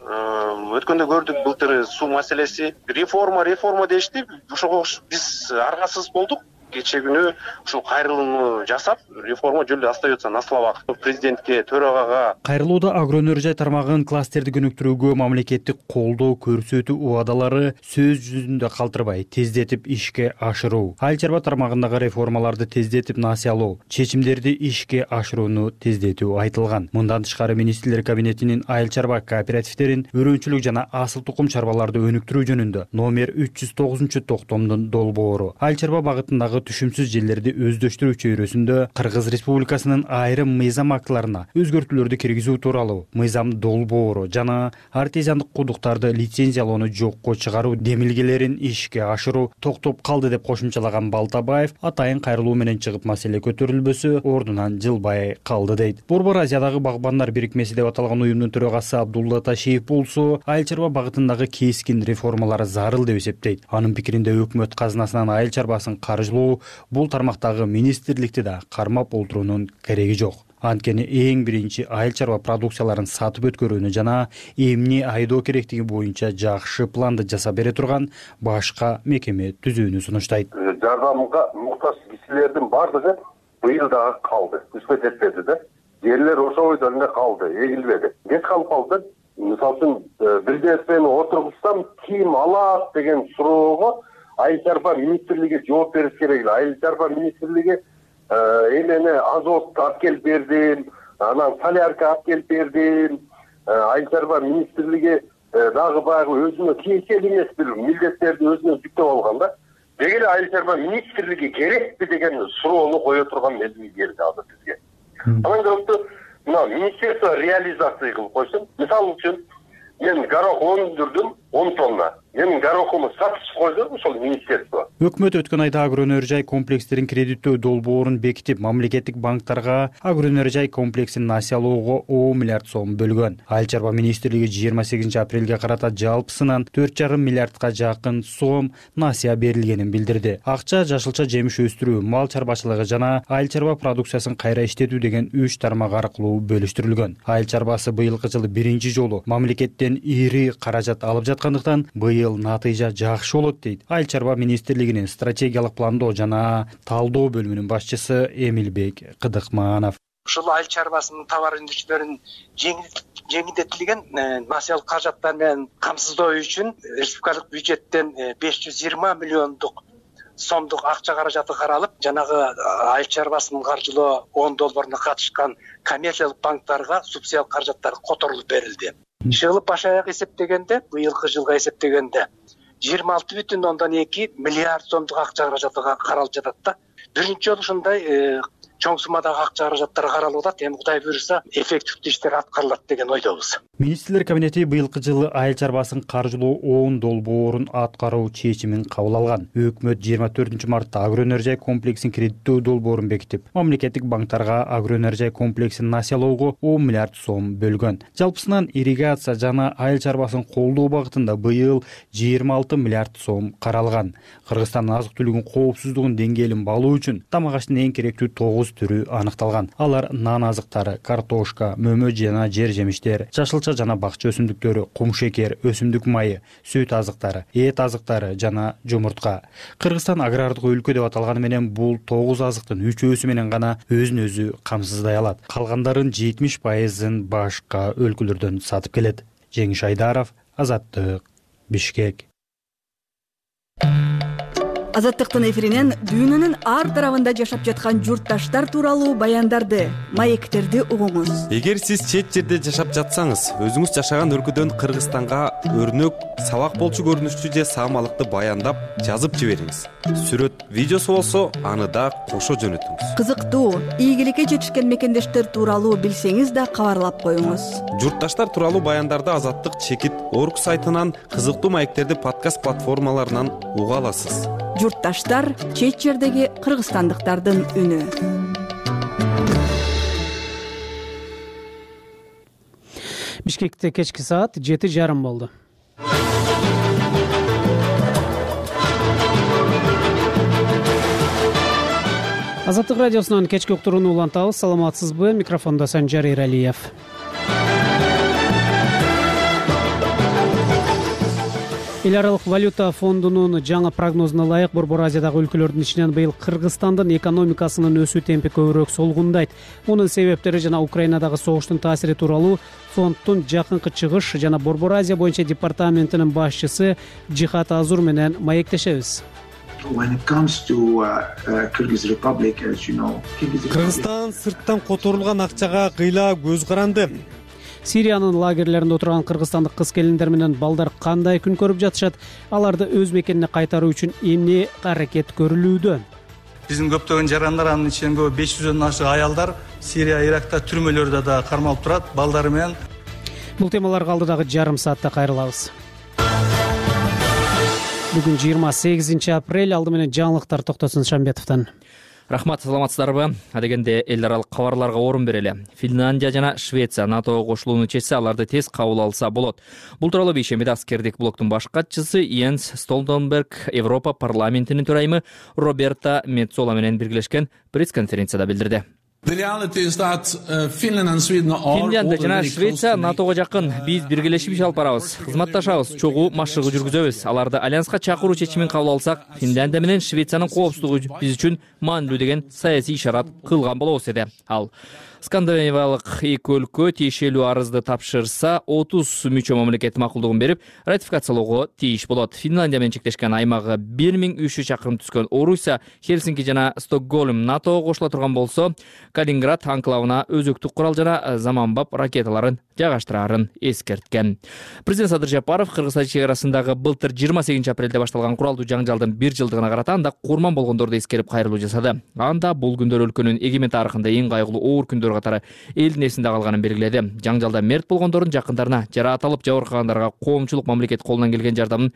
S18: Өткөндө көрдүк былтыр суу маселеси. Реформа дешти. Ошого биз аргасыз болдук. Кече күнү ушул кайрылууну жасап, реформа жөн эле остается на словах. Президентке, төрагага
S16: кайрылууда агро өнөр жай тармагын кластерди өнүктүрүүгө мамлекеттик колдоо көрсөтүү убадалары сөз жүзүндө калтырбай тездетип ишке ашыруу, айыл чарба тармагындагы реформаларды тездетип насыялоо, чечимдерди ишке ашырууну тездетүү айтылган. Мындан тышкары министрлер кабинетинин айыл чарба кооперативдерин өрөөнчүлүк жана асыл тукум чарбаларды өнүктүрүү жөнүндө номер 309 токтомдун долбоору айыл чарба багытындагы түшүмсүз жерлерди өздөштүрүү чөйрөсүндө Кыргыз Республикасынын айрым мыйзам актыларына өзгөртүүлөрдү киргизүү тууралуу мыйзам долбоору жана артезиандык кудуктарды лицензиялоону жокко чыгаруу демилгелерин ишке ашыруу токтоп калды деп кошумчалаган Балтабаев атайын кайрылуу менен чыгып маселе көтөрүлбөсө ордунан жылбай калды дейт. Борбор Азиядагы багбандар бирикмеси деп аталган уюмдун төрагасы Абдулла Ташиев болсо айыл чарба багытындагы кескин реформалар зарыл деп эсептейт. Анын пикиринде өкмөт казынасынан айыл чарбасын каржылоо бул тармактагы министрликти да кармап олтуруунун кереги жок. Анткени эң биринчи айыл чарба продукцияларын сатып өткөрүүнү жана эмне айдоо керектиги боюнча жакшы планды жасап бере турган башка мекеме түзүүнү сунуштайт.
S20: Жардамга муктаж кишилердин бардыгы быйыл дагы калды, түспөт этпеди да. Жерлер ошол бойдон эле калды, эгилбеди. Кет калып калды. Мисалы үчүн бир нерсени отургузсам ким алат деген суроого айыл чарба министрлиги жооп бериш керек. Айыл чарба министрлиги эмени азот алып келип бердим, анан солярка алып келип бердим. Айыл чарба министрлиги дагы баягы өзүнө тиешелүү эмес бир милдеттерди өзүнө жүктөп алган да. Деги эле айыл чарба министрлиги керекпи деген суроону кое турган мезгил келди азыр бизге. Анан көптү мына министерство реализация кылып койсун. Мисалы үчүн мен горох өндүрдүм 10 тонна. Менин горохумду сатып койдум ошол министерство.
S16: Өкмөт өткөн айда агро өнөр жай комплекстерин кредиттөө долбоорун бекитип, мамлекеттик банктарга агро өнөр жай комплексин насыялоого 10 миллиард сом бөлгөн. Айыл чарба министрлиги 28 апрелге карата жалпысынан 4,5 миллиардка жакын сом насыя берилгенин билдирди. Акча жашылча жемиш өстүрүү, мал чарбачылыгы жана айыл чарба продукциясын кайра иштетүү деген 3 тармак аркылуу бөлүштүрүлгөн. Айыл чарбасы быйылкы жылы биринчи жолу мамлекеттен ири каражат алып жаткандыктан быйыл натыйжа жакшы болот дейт айыл чарба министрлигинин стратегиялык пландоо жана талдоо бөлүмүнүн башчысы Эмилбек Кыдыкманов.
S21: Ушул айыл чарбасынын товар өндүрүүчүлөрүн жеңилдетилген насыялык каражаттар менен камсыздоо үчүн республикалык бюджеттен 520 миллиондук сомдук акча каражаты каралып, жанагы айыл чарбасынын каржылоо 10 долбооруна катышкан коммерциялык банктарга субсидиялык каражаттар которулуп берилди. Жылы баш аяк эсептегенде, быйылкы жылга эсептегенде 26,2 миллиард сомдук акча каражаты каралып жатат да. Биринчи жолу ушундай чоң суммадагы акча каражаттар каралып атат. Эми Кудай буйруса эффективдүү иштер аткарылат деген ойдобуз.
S16: Министрлер кабинети быйылкы жылы айыл чарбасын каржылоо 10 долбоорун аткаруу чечимин кабыл алган. Өкмөт 24 мартта агро өнөр жай комплексин кредиттөө долбоорун бекитип, мамлекеттик банктарга агро өнөр жай комплексин насыялоого 10 миллиард сом бөлгөн. Жалпысынан ирригация жана айыл чарбасын колдоо багытында быйыл 26 миллиард сом каралган. Кыргызстандын азык-түлүгүнүн коопсуздугун деңгээлин балуу үчүн тамак аштын эң керектүү 9 түрү аныкталган. Алар нан азыктары, картошка, мөмө жана жер жемиштер, жашылча жана бакча өсүмдүктөрү, кум шекер, өсүмдүк майы, сүт азыктары, эт азыктары жана жумуртка. Кыргызстан агрардык өлкө деп аталганы менен бул 9 азыктын 3/4 менен гана өзүн өзү камсыздай алат. Калгандарын 70%-ын башка өлкөлөрдөн сатып келет. Жеңиш Айдаров, Азаттык, Бишкек.
S17: Азаттыктын эфиринен дүйнөнүн ар тарабында жашап жаткан журтташтар тууралуу баяндарды, маектерди угуңуз.
S4: Эгер сиз чет жерде жашап жатсаңыз, өзүңүз жашаган өлкөдөн Кыргызстанга өрнөк, сабак болчу көрүнүштүү же саамалыкты баяндап жазып жибериңиз. Сүрөт, видеосу болсо, аны да кошо жөнөтүңүз.
S17: Кызыктуу, ийгиликке жетишкен мекендештер тууралуу билсеңиз да кабарлап коюңуз.
S4: Журтташтар тууралуу баяндарды Азаттык чекит орг сайтынан, кызыктуу маектерди подкаст платформаларынан уга аласыз.
S17: Журтташтар — чет жердеги кыргызстандыктардын үнү.
S1: Бишкекте кечки саат 7:30 болду. Азаттык радиосунан кечки уктурууну улантабыз. Саламатсызбы? Микрофондо Санжар Эралиев. Эл аралык валюта фондунун жаңы прогнозуна ылайык Борбор Азиядагы өлкөлөрдүн ичинен быйыл Кыргызстандын экономикасынын өсүү темпи көбүрөөк солгундайт. Мунун себептери жана Украинадагы согуштун таасири тууралуу фонддун жакынкы чыгыш жана Борбор Азия боюнча департаментинин башчысы Жихат Азур менен маектешебиз.
S16: Кыргызстан сырттан которулган акчага кыйла көз каранды.
S1: Сириянын лагерлеринде отурган кыргызстандык кыз-келиндер менен балдар кандай күн көрүп жатышат? Аларды өз мекенине кайтаруу үчүн эмне аракет көрүлүүдө?
S22: Биздин көптөгөн жарандар, анын ичинен көбү 500дөн ашык аялдар Сирия, Иракта түрмөлөрдө да кармалып турат, балдары менен.
S1: Бул темаларга алдыдагы жарым саатта кайрылабыз. Бүгүн 28 апрель, алды менен жаңылыктар Токтосун Шамбетовдон.
S3: Рахмат, саламатсыздарбы? Адегенде эл аралык кабарларга орун берели. Финляндия жана Швеция НАТОго кошулууну чечсе, аларды тез кабыл алса болот. Бул тууралуу бейшембиде аскердик блоктун баш катчысы Йенс Столтенберг Европа парламентинин төрайымы Роберта Меццола менен биргелешкен пресс-конференцияда билдирди. Финляндия жана Швеция НАТОго жакын. Биз биргелешип иш алып барабыз, кызматташабыз, чогуу машыгы жүргүзөбүз. Аларды альянска чакыруу чечимин кабыл алсак, Финляндия менен Швециянын коопсуздугу биз үчүн маанилүү деген саясий ишарат кылган болобуз деди ал. Скандинавиялык эки өлкө тиешелүү арызды тапшырса, 30 мүчө мамлекет макулдугун берип, ратификациялоого тийиш болот. Финляндия менен чектешкен аймагы 1300 чакырым түзгөн Орусия, Хельсинки жана Стокгольм НАТОго кошула турган болсо, Калининград анклавына өзөктүк курал жана заманбап ракеталарын жайгаштырарын эскерткен. Президент Садыр Жапаров Кыргызстан чек арасындагы былтыр 28 апрелде башталган куралдуу жаңжалдын 1 жылдыгына карата анда курман болгондорду эскерип кайрылуу жасады. Анда бул күндөр өлкөнүн эгемен тарыхында эң кайгылуу оор күндөр катары элдин эсинде калганын белгиледи. Жаңжалда мерт болгондордун жакындарына, жарааталып жабыркагандарга коомчулук мамлекет колунан келген жардамын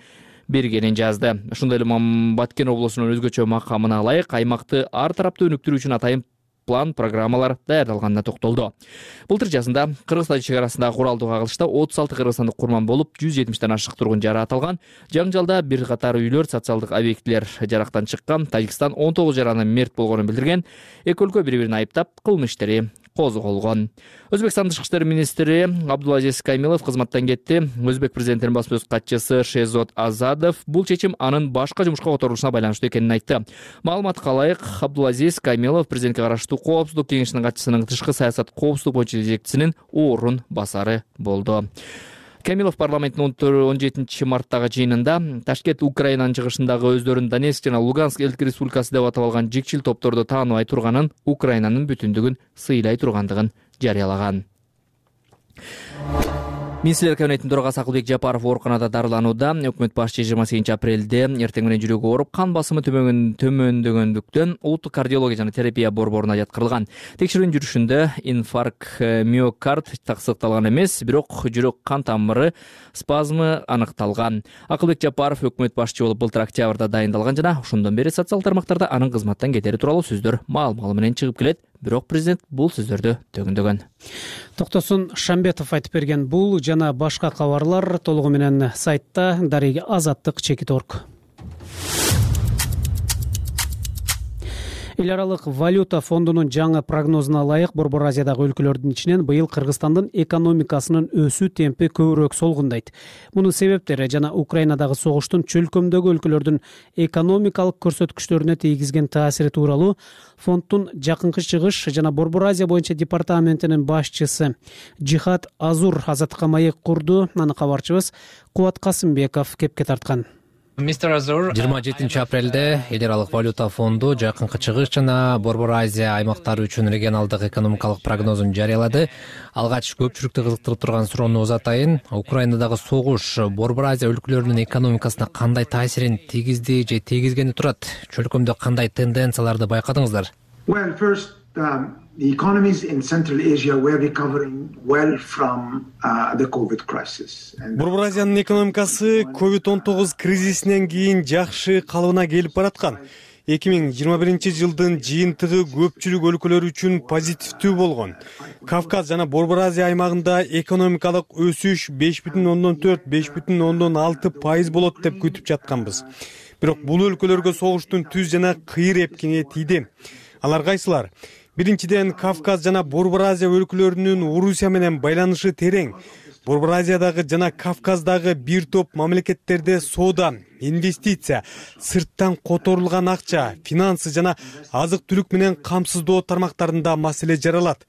S3: бергенин жазды. Ошондой эле Баткен облусунун өзгөчө макамына ылайык аймакты ар тараптуу өнүктүрүү үчүн атайын план, программалар даярдалганына токтолду. Былтыр жазында Кыргызстан чек арасындагы куралдуу кагылышта 36 кыргызстандык курман болуп, 170ден ашык тургун жарааталган. Жаңжалда бир катар үйлөр, социалдык объектилер жарактан чыккан. Тажикстан 19 жаранын мерт болгонун билдирген. Эки өлкө бири-бирин айыптап, кылмыш иштери козголгон. Өзбекстан тышкы иштер министри Абдулазиз Камилов кызматтан кетти. Өзбек президентинин басма сөз катчысы Шехзод Азадов бул чечим анын башка жумушка которулушуна байланыштуу экенин айтты. Маалыматка ылайык, Абдулазиз Камилов президентке караштуу коопсуздук кеңешинин катчысынын тышкы саясат коопсуздук боюнча жетекчисинин орун басары болду. Камилов парламенттин 17 марттагы жыйынында Ташкент Украинанын чыгышындагы өздөрүн Донецк жана Луганск элдик республикасы деп атап алган жикчил топторду тааныбай турганын, Украинанын бүтүндүгүн сыйлай тургандыгын жарыялаган. Министрлер кабинетинин төрагасы Акылбек Жапаров ооруканада дарыланууда. Өкмөт башчы 28 апрелде эртең менен жүрөгү ооруп, кан басымы төмөндөгөндүктөн улуттук кардиология жана терапия борборуна жаткырылган. Текшерүүнүн жүрүшүндө инфаркт миокард тасдыкталган эмес, бирок жүрөк кан тамыры спазмы аныкталган. Акылбек Жапаров өкмөт башчы болуп былтыр октябрда дайындалган жана ошондон бери социалдык тармактарда анын кызматтан кетери тууралуу сөздөр маал-маалы менен чыгып келет. Бирок президент бул сөздөрдү төгүндөгөн.
S1: Токтосун Шамбетов айтып берген бул жана башка кабарлар толугу менен сайтта дареги Азаттык чекит орг. Эл аралык валюта фондунун жаңы прогнозуна ылайык Борбор Азиядагы өлкөлөрдүн ичинен быйыл Кыргызстандын экономикасынын өсүү темпи көбүрөөк солгундайт. Мунун себептери жана Украинадагы согуштун чөлкөмдөгү өлкөлөрдүн экономикалык көрсөткүчтөрүнө тийгизген таасири тууралуу фонддун жакынкы чыгыш жана Борбор Азия боюнча департаментинин башчысы Жихат Азур Азаттыкка маек курду. Аны кабарчыбыз Кубат Касымбеков кепке тарткан.
S6: 27 апрелде эл аралык валюта фонду Жакынкы Чыгыш жана Борбор Азия аймактары үчүн регионалдык экономикалык прогнозун жарыялады. Алгач көпчүлүктү кызыктырып турган суроону узатайын. Украинадагы согуш Борбор Азия өлкөлөрүнүн экономикасына кандай таасирин тийгизди же тийгизгени турат? Чөлкөмдө кандай тенденцияларды байкадыңыздар?
S7: The economies in Central Asia were recovering well from the COVID crisis.
S16: Борбор Азиянын экономикасы COVID-19 кризисинен кийин жакшы калыбына келип бараткан. 2021 жыйынтыгы көпчүлүк өлкөлөр үчүн позитивдүү болгон. Кавказ жана Борбор Азия аймагында экономикалык өсүш 5,4-5,6% болот деп күтүп жатканбыз. Бирок бул өлкөлөргө согуштун түз жана кыйыр эпкини тийди. Алар кайсылар? Биринчиден, Кавказ жана Борбор Азия өлкөлөрүнүн Орусия менен байланышы терең. Борбор Азиядагы жана Кавказдагы бир топ мамлекеттерде соода, инвестиция, сырттан которулган акча, финансы жана азык-түлүк менен камсыздоо тармактарында маселе жаралат.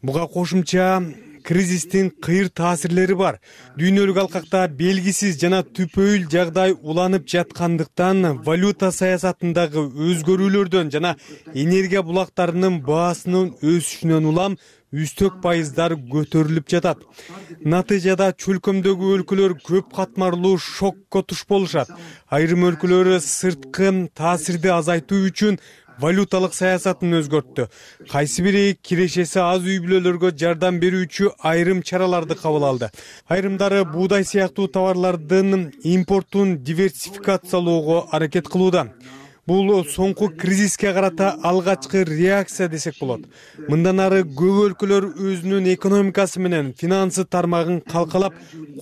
S16: Буга кошумча кризистин кыйыр таасирлери бар. Дүйнөлүк алкакта белгисиз жана түпөйүл жагдай уланып жаткандыктан валюта саясатындагы өзгөрүүлөрдөн жана энергия булактарынын баасынын өсүшүнөн улам үстөк пайыздар көтөрүлүп жатат. Натыйжада чөлкөмдөгү өлкөлөр көп катмарлуу шокко туш болушат. Айрым өлкөлөр сырткы таасирди азайтуу үчүн валюталык саясатын өзгөрттү. Кайсы бири кирешеси аз үй бүлөлөргө жардам берүүчү айрым чараларды кабыл алды. Айрымдары буудай сыяктуу товарлардын импортун диверсификациялоого аракет кылууда. Бул соңку кризиске карата алгачкы реакция десек болот. Мындан ары көп өлкөлөр өзүнүн экономикасы менен финансы тармагын калкалап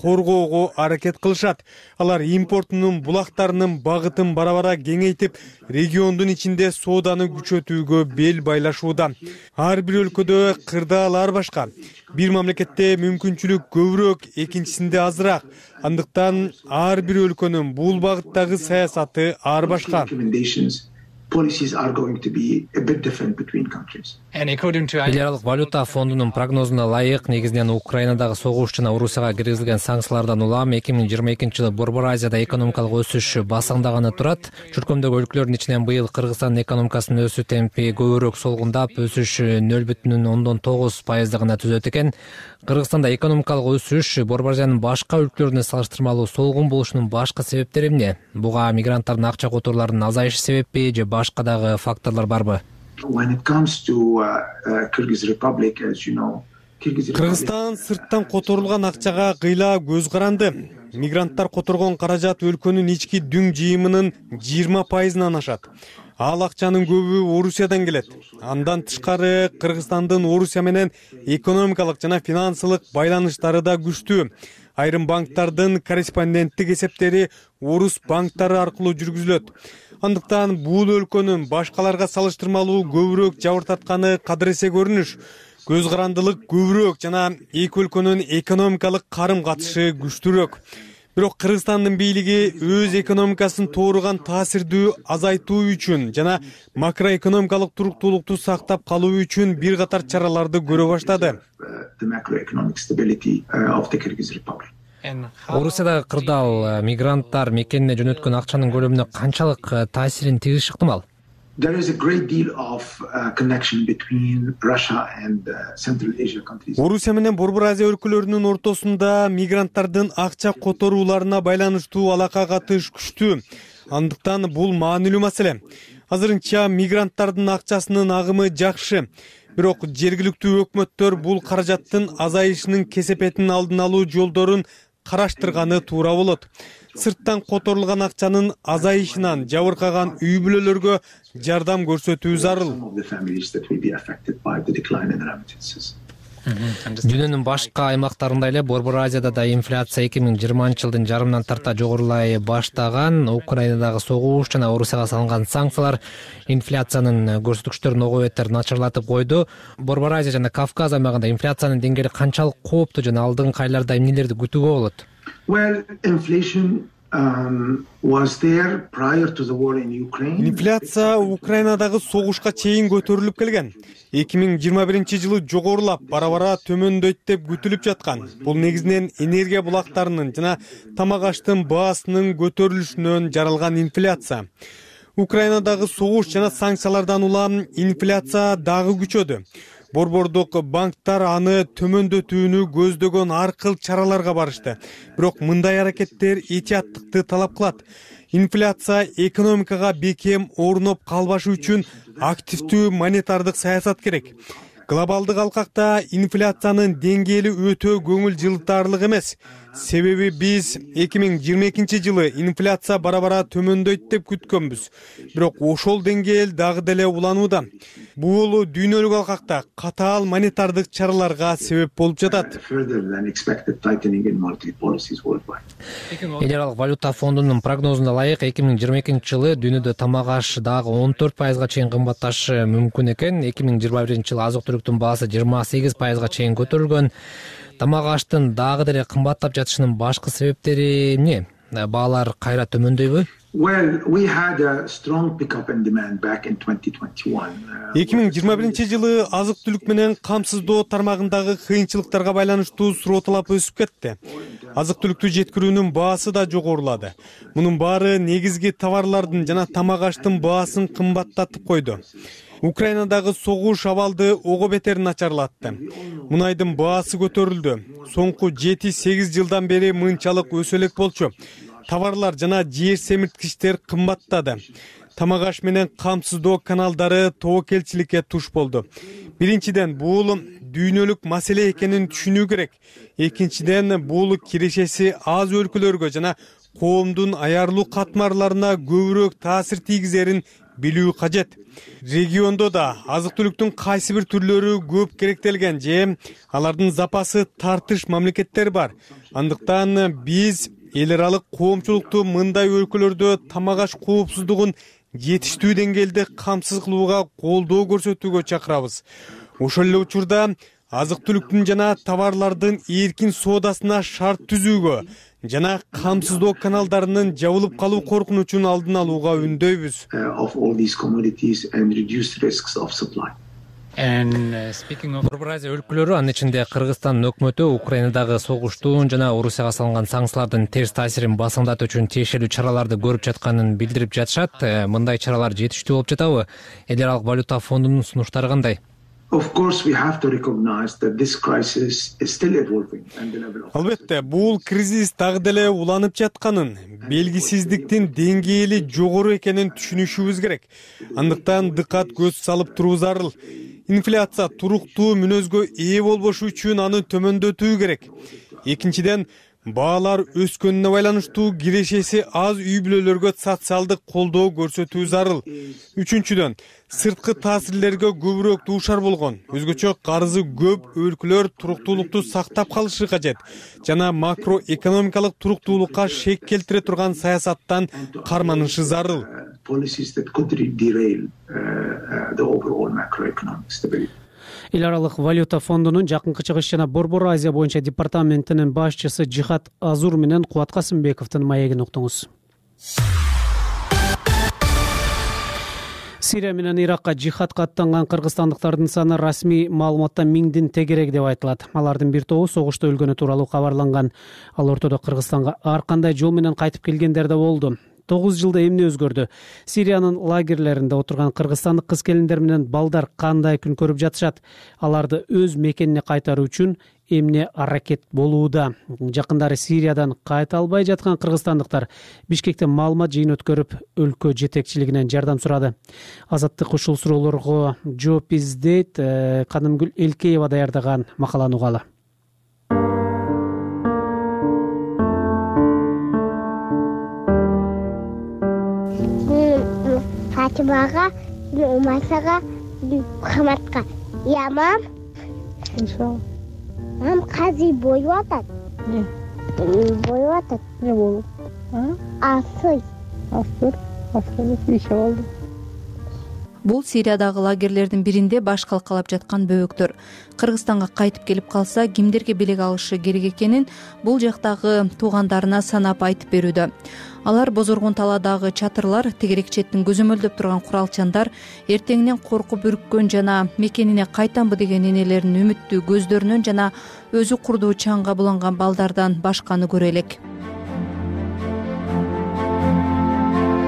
S16: коргоого аракет кылышат. Алар импортунун булактарынын багытын бара-бара кеңейтип, региондун ичинде сооданы күчөтүүгө бел байлашууда. Ар бир өлкөдө кырдаалар башка. Бир мамлекетте мүмкүнчүлүк көбүрөөк, экинчисинде азыраак. Андыктан ар бир өлкөнүн бул багыттагы саясаты ар башка.
S7: Policies are going to be a bit different between countries.
S6: Эл аралык валюта фондунун прогнозуна ылайык, негизинен Украинадагы согуш жана Орусияга киргизилген санкциялардан улам 2022-жылы Борбор Азияда экономикалык өсүш басаңдаганы турат. Чөлкөмдөгү өлкөлөрдүн ичинен быйыл Кыргызстандын экономикасынын өсүү темпи көбүрөөк солгундап, өсүш 0,9%-гана түзөт экен. Кыргызстанда экономикалык өсүш Борбор Азиянын башка өлкөлөрүнө салыштырмалуу солгун болушунун башка себептери эмне? Буга мигранттардын акча которууларынын азайышы себеппи же башка дагы факторлор барбы?
S7: When it comes to Kyrgyz Republic, as you know,
S16: Кыргызстан сырттан которулган акчага кыйла көз каранды. Мигранттар которгон каражат өлкөнүн ички дүң жыйымынын 20%-ынан ашат. Ал акчанын көбү Орусиядан келет. Андан тышкары Кыргызстандын Орусия менен экономикалык жана финансылык байланыштары да күчтүү. Айрым банктардын корреспонденттик эсептери орус банктары аркылуу жүргүзүлөт. Андыктан бул өлкөнүн башкаларга салыштырмалуу көбүрөөк жабыртатканы кадыресе көрүнүш. Көз карандылык көбүрөөк жана эки өлкөнүн экономикалык карым катышы күчтүүрөөк. Бирок Кыргызстандын бийлиги өз экономикасын тууруган таасирдүү азайтуу үчүн жана макроэкономикалык туруктуулукту сактап калуу үчүн бир катар чараларды көрө баштады.
S6: Орусиядагы кырдаал мигранттар мекенине жөнөткөн акчанын көлөмүнө канчалык таасирин тийгизиши ыктымал?
S7: There is a great deal of connection between Russia and Central Asia countries.
S16: Орусия менен Борбор Азия өлкөлөрүнүн ортосунда мигранттардын акча которууларына байланыштуу алака катыш күчтүү. Андыктан бул маанилүү маселе. Азырынча мигранттардын акчасынын агымы жакшы. Бирок жергиликтүү өкмөттөр бул каражаттын азайышынын кесепетин алдын алуу жолдорун караштырганы туура болот. Сырттан которулган акчанын азайышынан жабыркаган үй бүлөлөргө жардам көрсөтүү зарыл.
S6: Дүйнөнүн башка аймактарында эле Борбор Азияда да инфляция 2020-жылдын жарымынан тарта жогорулай баштаган. Украинадагы согуш жана Орусияга салынган санкциялар инфляциянын көрсөткүчтөрүн ого бетер начарлатып койду. Борбор Азия жана Кавказ аймагында инфляциянын деңгээли канчалык кооптуу жана алдыңкы айларда эмнелерди күтүүгө болот?
S7: Well, inflation was there prior to the war in Ukraine.
S16: Инфляция Украинадагы согушка чейин көтөрүлүп келген. 2021-жылы жогорулап, бара-бара төмөндөйт деп күтүлүп жаткан. Бул негизинен энергия булактарынын жана тамак аштын баасынын көтөрүлүшүнөн жаралган инфляция. Украинадагы согуш жана санкциялардан улам инфляция дагы күчөдү. Борбордук банктар аны төмөндөтүүнү көздөгөн ар кыл чараларга барышты. Бирок мындай аракеттер этияттыкты талап кылат. Инфляция экономикага бекем орноп калбашы үчүн активдүү монетардык саясат керек. Глобалдык алкакта инфляциянын деңгээли өтө көңүл жылытарлык эмес. Себеби биз 2022-жылы инфляция бара-бара төмөндөйт деп күткөнбүз. Бирок ошол деңгээл дагы деле уланууда. Бул дүйнөлүк алкакта катаал монетардык чараларга себеп болуп жатат.
S6: Эл аралык валюта фондунун прогнозуна ылайык 2022-жылы дүйнөдө тамак аш дагы 14% чейин кымбатташы мүмкүн экен. 2021-жылы азык-түлүктүн баасы 28% чейин көтөрүлгөн. Тамак аштын дагы деле кымбаттап жатышынын башкы себептери эмне? Баалар кайра төмөндөйбү?
S7: Well, we had a strong pickup in demand back in 2021.
S16: 2021-жылы азык-түлүк менен камсыздоо тармагындагы кыйынчылыктарга байланыштуу суроо талап өсүп кетти. Азык-түлүктү жеткирүүнүн баасы да жогорулады. Мунун баары негизги товарлардын жана тамак аштын баасын кымбаттатып койду. Украинадагы согуш абалды ого бетер начарлатты. Мунайдын баасы көтөрүлдү. Соңку 7-8 жылдан бери мынчалык өсө элек болчу. Товарлар жана жер семирткичтер кымбаттады. Тамак аш менен камсыздоо каналдары тобокелчиликке туш болду. Биринчиден, бул дүйнөлүк маселе экенин түшүнүү керек. Экинчиден, бул кирешеси аз өлкөлөргө жана коомдун аярлуу катмарларына көбүрөөк таасир тийгизерин билүү кажет. Региондо да азык-түлүктүн кайсы бир түрлөрү көп керектелген же алардын запасы тартыш мамлекеттер бар. Андыктан биз эл аралык коомчулукту мындай өлкөлөрдө тамак аш коопсуздугун жетиштүү деңгээлде камсыз кылууга колдоо көрсөтүүгө чакырабыз. Ошол эле учурда азык-түлүктүн жана товарлардын эркин соодасына шарт түзүүгө жана камсыздоо каналдарынын жабылып калуу коркунучун алдын алууга үндөйбүз.
S6: Борбор Азия өлкөлөрү, анын ичинде Кыргызстандын өкмөтү Украинадагы согуштун жана Орусияга салынган санкциялардын терс таасирин басымдатуу үчүн тиешелүү чараларды көрүп жатканын билдирип жатышат. Мындай чаралар жетиштүү болуп жатабы? Эл аралык валюта фондунун сунуштары кандай?
S16: Албетте, бул кризис дагы деле уланып жатканын, белгисиздиктин деңгээли жогору экенин түшүнүшүбүз керек. Андыктан дыкат көз салып туруу зарыл. Инфляция туруктуу мүнөзгө ээ болбошу үчүн аны төмөндөтүү керек. Экинчиден, баалар өскөнүнө байланыштуу кирешеси аз үй бүлөлөргө социалдык колдоо көрсөтүү зарыл. Үчүнчүдөн, сырткы таасирлерге көбүрөөк дуушар болгон, өзгөчө карызы көп өлкөлөр туруктуулукту сактап калышы кажет жана макроэкономикалык туруктуулукка шек келтире турган саясаттан карманышы зарыл.
S1: Эл аралык валюта фондунун Жакынкы Чыгыш жана Борбор Азия боюнча департаментинин башчысы Жихат Азур менен Кубат Касымбековдун маегин уктуңуз. Сирия менен Иракка жихадка аттанган кыргызстандыктардын саны расмий маалыматта 1000дин тегерек деп айтылат. Алардын бир тобу согушта өлгөнү тууралуу кабарланган. Ал ортодо Кыргызстанга ар кандай жол менен кайтып келгендер да болду. 9 жылда эмне өзгөрдү? Сириянын лагерлеринде отурган кыргызстандык кыз-келиндер менен балдар кандай күн көрүп жатышат? Аларды өз мекенине кайтаруу үчүн эмне аракет болууда? Жакындары Сириядан кайта албай жаткан кыргызстандыктар Бишкекте маалымат жыйын өткөрүп, өлкө жетекчилигинен жардам сурады. Азаттык ушул суроолорго жооп издейт. Канымгүл Элкеева даярдаган макаланы угалы.
S8: Фатимага, Умасага, Хаматка. Я мам. Мам казый боюп атат.
S9: Не?
S8: Боюп атат.
S9: Не болуп?
S8: Асый.
S9: Астыр. Астырды иши болду.
S11: Бул Сириядагы лагерлердин биринде баш калкалап жаткан бөбөктөр. Кыргызстанга кайтып келип калса, кимдерге белек алышы керек экенин бул жактагы туугандарына санап айтып берүүдө. Алар бозоргон талаадагы чатырлар, тегерек четтин көзөмөлдөп турган куралчандар, эртеңинен коркуп үрккөн жана мекенине кайтамбы деген энелердин үмүттүү көздөрүнөн жана өзү курдуу чаңга буланган балдардан башканы көрө элек.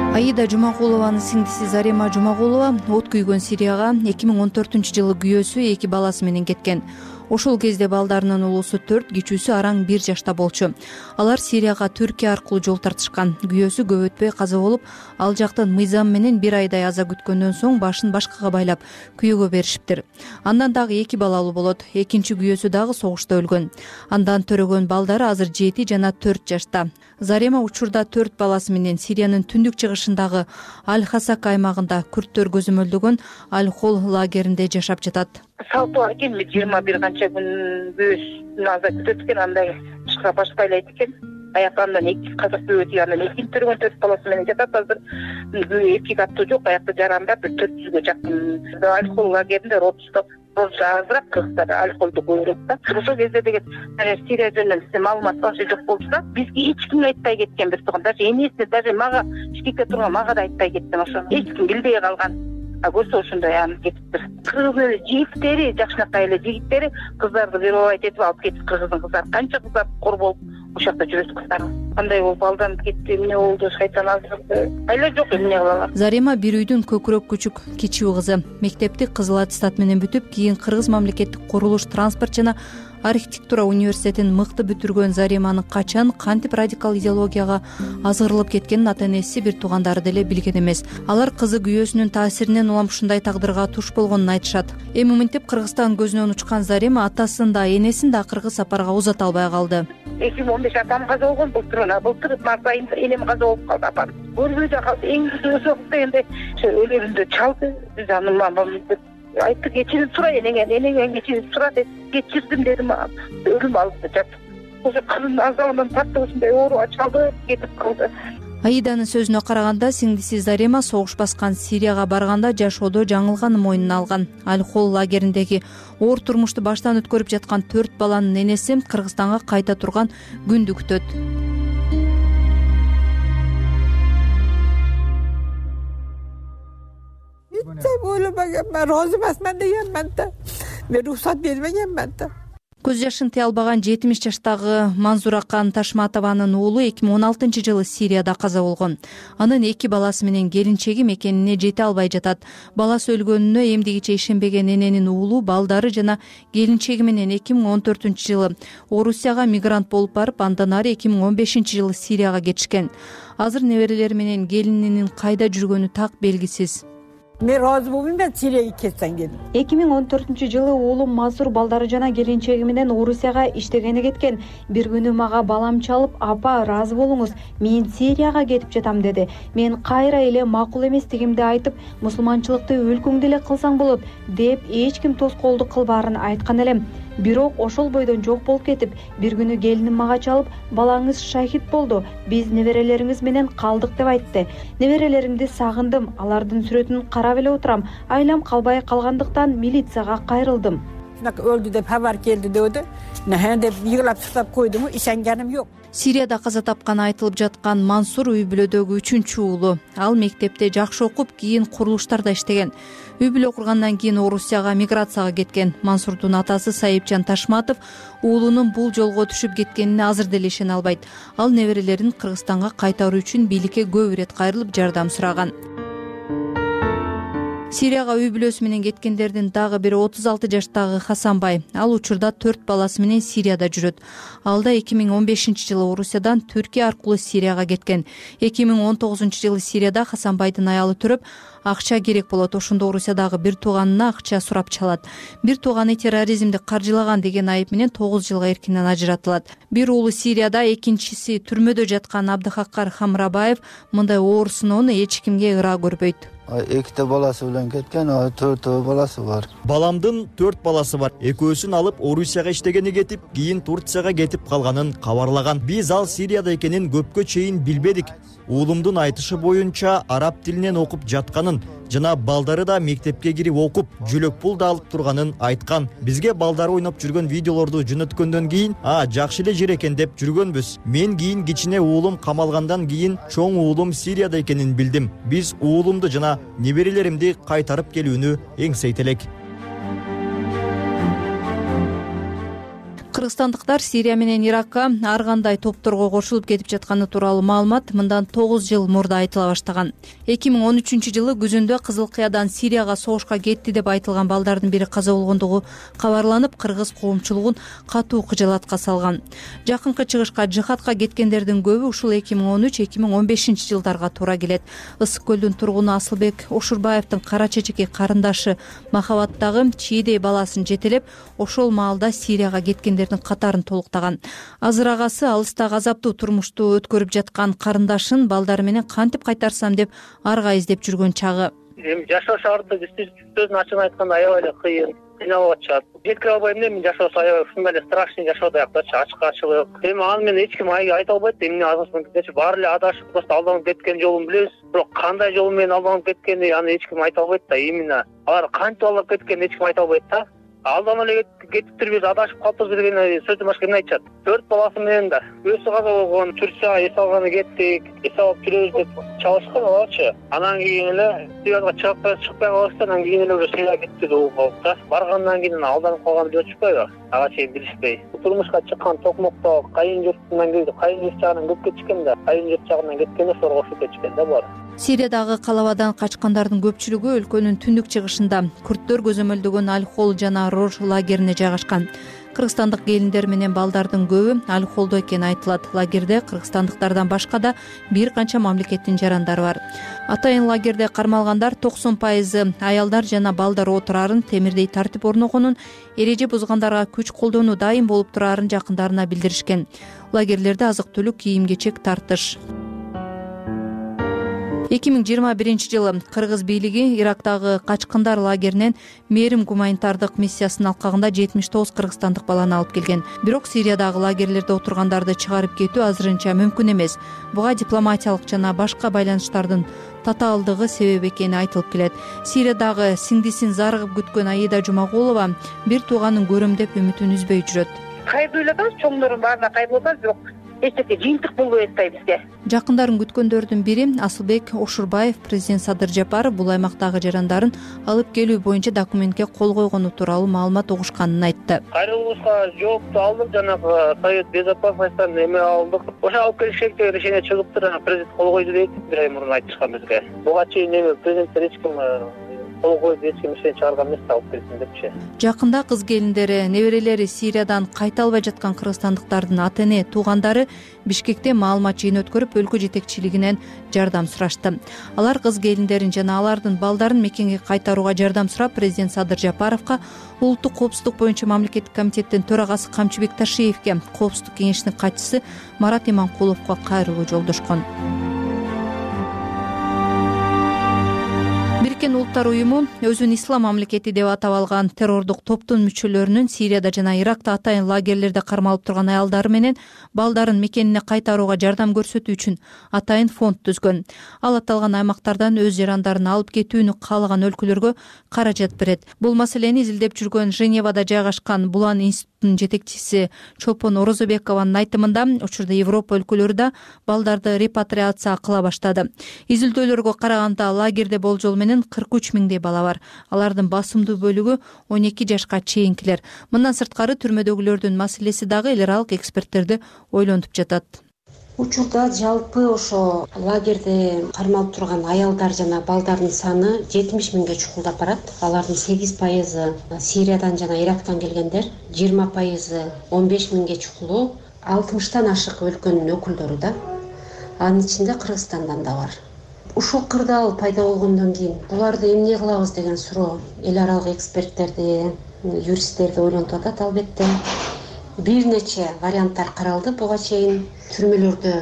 S11: Аида Жумагулованын сиңдиси Зарема Жумагулова от күйгөн Сирияга 2014-жылы күйөөсү 2 баласы менен кеткен. Ошол кезде балдарынын улуусу 4, кичүүсү араң 1 жашта болчу. Алар Сирияга Түркия аркылуу жол тартышкан. Күйөөсү көп өтпөй каза болуп, ал жактын мыйзам менен 1 айдай аза күткөндөн соң башын башкага байлап күйөөгө беришиптир. Андан дагы 2 балалуу болот. Экинчи күйөөсү дагы согушта өлгөн. Андан төрөгөн балдары азыр 7 жана 4 жашта. Зарема учурда 4 баласы менен Сириянын түндүк чыгышындагы Аль-Хасак аймагында күрттөр көзөмөлдөгөн Аль-Хол лагеринде жашап жатат.
S9: Салты бар экен, 21 канча күн күйөөсүн аза күтөт экен, андай башка баш байлайт экен. Аякандан 2 казак бөбөтү, андан 2 төргөн 4 баласы менен жатат. Азыр эпик аттуу жок, аякта жарандап 400гө жакын. Аль-Хол лагеринде родусто азыраак кыргыздар алколду көбүрөөк да. Ошол кезде деген Сирия жөнүндө маалымат башы жок болчу. Бизге эч ким айтпай кеткен, бир тууган, даже энесине, даже мага Бишкекте турган мага да айтпай кеткен ошо. Эч ким билбей калган. Көрсө ошондой кетиптир. Кыргыздын жигиттери, жакшынакай эле жигиттери кыздарды вербовать этип алып кетип, кыргыздын кыздары канча кыздар кор болуп ошол жакта жүрөт кыздар. Кандай болуп алданып кетти, эмне болду, шайтан азырды. Айла жок, эмне кылалар.
S11: Зарема бир үйдүн көкүрөк күчүк кичүү кызы. Мектепти кызыл аттестат менен бүтүп, кийин Кыргыз мамлекеттик курулуш, транспорт жана архитектура университетин мыкты бүтүргөн Зареманын качан кантип радикал идеологияга азгырылып кеткенин ата-энеси, бир туугандары деле билген эмес. Алар кызы күйөөсүнүн таасиринен улам ушундай тагдырга туш болгонун айтышат. Эми мынтип Кыргызстан көзүнөн учкан Зарема атасын да энесин да акыркы сапарга узата албай калды.
S9: 2015 атам каза болгон, былтыр март айында энем каза болуп калды, апам. Көрбөй да калды. Эң өзү дегенде өлөрүндө чалды. Жаным мамам айтты, кечирим сура энеңен кечирим сура деп кечирдим дедим. Өлүм алды деп. Ошо кызын азабынан тартып ушундай ооруга чалды, кетип калды.
S11: Аиданын сөзүнө караганда, сиңдиси Зарема согуш баскан Сирияга барганда жашоодо жаңылганын мойнуна алган. Аль-Хол лагериндеги оор турмушту баштан өткөрүп жаткан 4 баланын энеси Кыргызстанга кайта турган күндү күтөт.
S10: Ойлобогенмин, розы эмесмин дегенмин да. Мен уруксат бербегенмин да.
S11: Көз жашын тыя албаган 70 жаштагы Манзуракан Ташматованын уулу 2016-жылы Сирияда каза болгон. Анын 2 баласы менен келинчеги мекенине жете албай жатат. Баласы өлгөнүнө эмдигиче ишенбеген эненин уулу, балдары жана келинчеги менен 2014-жылы Орусияга мигрант болуп барып, андан ары 2015-жылы Сирияга кетишкен. Азыр неберелери менен келининин кайда жүргөнү так белгисиз.
S10: Мен разы болбойм, мен Сирияга кетсем келдим.
S23: 2014-жылы уулум Мазур балдары жана келинчеги менен Орусияга иштегени кеткен. Бир күнү мага балам чалып, апа ыраазы болуңуз, мен Сирияга кетип жатам деди. Мен кайра эле макул эместигимди айтып, мусулманчылыкты өлкөңдө эле кылсаң болот деп эч ким тоскоолдук кылбаарын айткан элем. Бирок ошол бойдон жок болуп кетип, бир күнү келиним мага чалып, балаңыз шахид болду, биз неберелериңиз менен калдык деп айтты. Неберелеримди сагындым, алардын сүрөтүн карап эле отурам. Айлам калбай калгандыктан милицияга кайрылдым.
S10: Өлдү деп хабар келди деди. Деп йыгылап сыктап койдум, ишенгеним жок.
S11: Сирияда каза тапканы айтылып жаткан Мансур үй бүлөдөгү 3-чү уулу. Ал мектепте жакшы окуп, кийин курулуштарда иштеген. Үй бүлө кургандан кийин Орусияга миграцияга кеткен. Мансурдун атасы Сайыпчан Ташматов уулунун бул жолго түшүп кеткенине азыр деле ишене албайт. Ал неберелерин Кыргызстанга кайтаруу үчүн бийликке көп ирет кайрылып жардам сураган. Сирияга үй бүлөсү менен кеткендердин дагы бири 36 жаштагы Хасанбай. Ал учурда 4 баласы менен Сирияда жүрөт. Ал да 2015-жылы Орусиядан Түркия аркылуу Сирияга кеткен. 2019-жылы Сирияда Хасанбайдын аялы төрөп, акча керек болот. Ошондо Орусиядагы бир тууганына акча сурап чалат. Бир тууганы терроризмди каржылаган деген айып менен 9 жылга эркинен ажыратылат. Бир уулу Сирияда, экинчиси түрмөдө жаткан Абдыхаккар Хамрабаев мындай оор сыноону эч кимге ыраа көрбөйт.
S24: 2 баласы менен кеткен, 4 баласы бар.
S25: Баламдын 4 баласы бар. Экөөсүн алып Орусияга иштегени кетип, кийин Турцияга кетип калганын кабарлаган. Биз ал Сирияда экенин көпкө чейин билбедик. Уулумдун айтышы боюнча араб тилинен окуп жатканын, турганын жана балдары да мектепке кирип окуп, жөлөк пул да алып турганын айткан. Бизге балдары ойноп жүргөн видеолорду жөнөткөндөн кийин, жакшы эле жер экен деп жүргөнбүз. Мен кийин кичине уулум камалгандан кийин чоң уулум Сирияда экенин билдим. Биз уулумду жана неберелеримди кайтарып келүүнү эңсейт элек.
S11: Кыргызстандыктар Сирия менен Иракка ар кандай топторго кошулуп кетип жатканы тууралуу маалымат мындан 9 жыл мурда айтыла баштаган. 2013-жылы күзүндө Кызыл Кыядан Сирияга согушка кетти деп айтылган балдардын бири каза болгондугу кабарланып, кыргыз коомчулугун катуу кыжаалатка салган. Жакынкы чыгышка жихадка кеткендердин көбү ушул 2013-2015 жылдарга туура келет. Ысык көлдүн тургуну Асылбек Ошурбаевдин кара чечеки карындашы Махабаттагы чийдей баласын жетелеп, ошол маалда Сирияга кеткендердин катарын толуктаган. Азыр агасы алыстагы азаптуу турмушту өткөрүп жаткан карындашын балдары менен кантип кайтарсам деп арга издеп жүргөн чагы.
S2: Эми жашоо шаарында сөзүн ачык айтканда аябай эле кыйын, кыйналып атышат. Жеткире албайм эле, мен жашоосу аябай ушундай эле страшный жашоо даяктачы, ачкачылык. Эми аны менен эч ким айта албайт. Эмне азыркыча баары эле адашып, просто алданып кеткен жолун билебиз. Бирок кандай жол менен алданып кеткени аны эч ким айта албайт да. Именно алар кантип алданып кеткенин эч ким айта албайт да. Алдан эле кетиптир, биз адашып калыппыз деген сөздөн башка эмне айтышат. 4 баласы менен да өзү каза болгон, Турцияга эс алганы кеттик, эс алып жүрөбүз деп чалышкан аларчы. Анан кийин эле Сирияга чыгып чыкпай калышты, анан кийин эле уже Сирияга кетти деп угуп да. Баргандан кийин алданып калган деп отурушпайбы? Ага чейин билишпей. Турмушка чыккан токмокто кайын журтунан келди, кайын журт жагынан көп кетишкен да. Кайын журт жагынан кеткенде ошолорго кошулуп кетишкен да булар.
S11: Сириядагы калабадан качкандардын көпчүлүгү өлкөнүн түндүк чыгышында күрттөр көзөмөлдөгөн Аль-Хол жана Рож лагерине жайгашкан. Кыргызстандык келиндер менен балдардын көбү Аль-Холдо экени айтылат. Лагерде кыргызстандыктардан башка да бир канча мамлекеттин жарандары бар. Атайын лагерде кармалгандар 90% аялдар жана балдар отурарын, темирдей тартип орногонун, эреже бузгандарга күч колдонуу дайым болуп турарын жакындарына билдиришкен. Лагерлерде азык-түлүк, кийим-кечек тартыш. 2021-жылы кыргыз бийлиги Ирактагы качкындар лагеринен мээрим гуманитардык миссиясынын алкагында 79 кыргызстандык баланы алып келген. Бирок Сириядагы лагерлерде отургандарды чыгарып кетүү азырынча мүмкүн эмес. Буга дипломатиялык жана башка байланыштардын татаалдыгы себеп экени айтылып келет. Сириядагы сиңдисин зарыгып күткөн Аида Жумагулова бир тууганын көрөм деп үмүтүн үзбөй жүрөт.
S9: Кайрылып эле чоңдордун баарына кайрылып атабыз, бирок эчтеке жыйынтык болбой атпайбы бизге.
S11: Жакындарын күткөндөрдүн бири Асылбек Ошурбаев. Президент Садыр Жапаров бул аймактагы жарандарын алып келүү боюнча документке кол койгону тууралуу маалымат угушканын айтты.
S2: Кайрылышка жоопту алдык, жанагы Совет безопасностьтан эме алдык. Ошо алып келиш керек деген решение чыгыптыр, анан президент кол койду дейт, бир ай мурун айтышкан бизге. Буга чейин эме президенттер эч ким кол койду, эч ким ишен чыгарган эмес, алып келсин депчи.
S11: Жакында кыз келиндери, неберелери Сириядан кайта албай жаткан кыргызстандыктардын ата-эне, туугандары Бишкекте маалымат жыйын өткөрүп, өлкө жетекчилигинен жардам сурашты. Алар кыз келиндерин жана алардын балдарын мекенге кайтарууга жардам сурап, президент Садыр Жапаровго, улуттук коопсуздук боюнча мамлекеттик комитеттин төрагасы Камчыбек Ташиевге, коопсуздук кеңешинин катчысы Марат Иманкуловго кайрылуу жолдошкон. Бириккен Улуттар уюму өзүн ислам мамлекети деп атап алган террордук топтун мүчөлөрүнүн Сирияда жана Иракта атайын лагерлерде кармалып турган аялдары менен балдарын мекенине кайтарууга жардам көрсөтүү үчүн атайын фонд түзгөн. Ал аталган аймактардан өз жарандарын алып кетүүнү каалаган өлкөлөргө каражат берет. Бул маселени изилдеп жүргөн Женевада жайгашкан Булан институтунун жетекчиси Чолпон Орозобекованын айтымында, учурда Европа өлкөлөрү да балдарды репатриация кыла баштады. Изилдөөлөргө караганда лагерде болжол менен 43 миңдей бала бар. Алардын басымдуу бөлүгү 12 жашка чейинкилер. Мындан сырткары түрмөдөгүлөрдүн маселеси дагы эл аралык эксперттерди ойлонтуп жатат.
S5: Учурда жалпы ошо лагерде кармалып турган аялдар жана балдардын саны 70 миңге чукулдап барат. Алардын 8% Сириядан жана Ирактан келгендер, 20% 15 миңге чукулуу, 60тан ашык өлкөнүн өкүлдөрү да. Анын ичинде Кыргызстандан да бар. Ушул кырдаал пайда болгондон кийин буларды эмне кылабыз деген суроо эл аралык эксперттерди, юристтерди ойлонтуп атат албетте. Бир нече варианттар каралды буга чейин. Түрмөлөрдө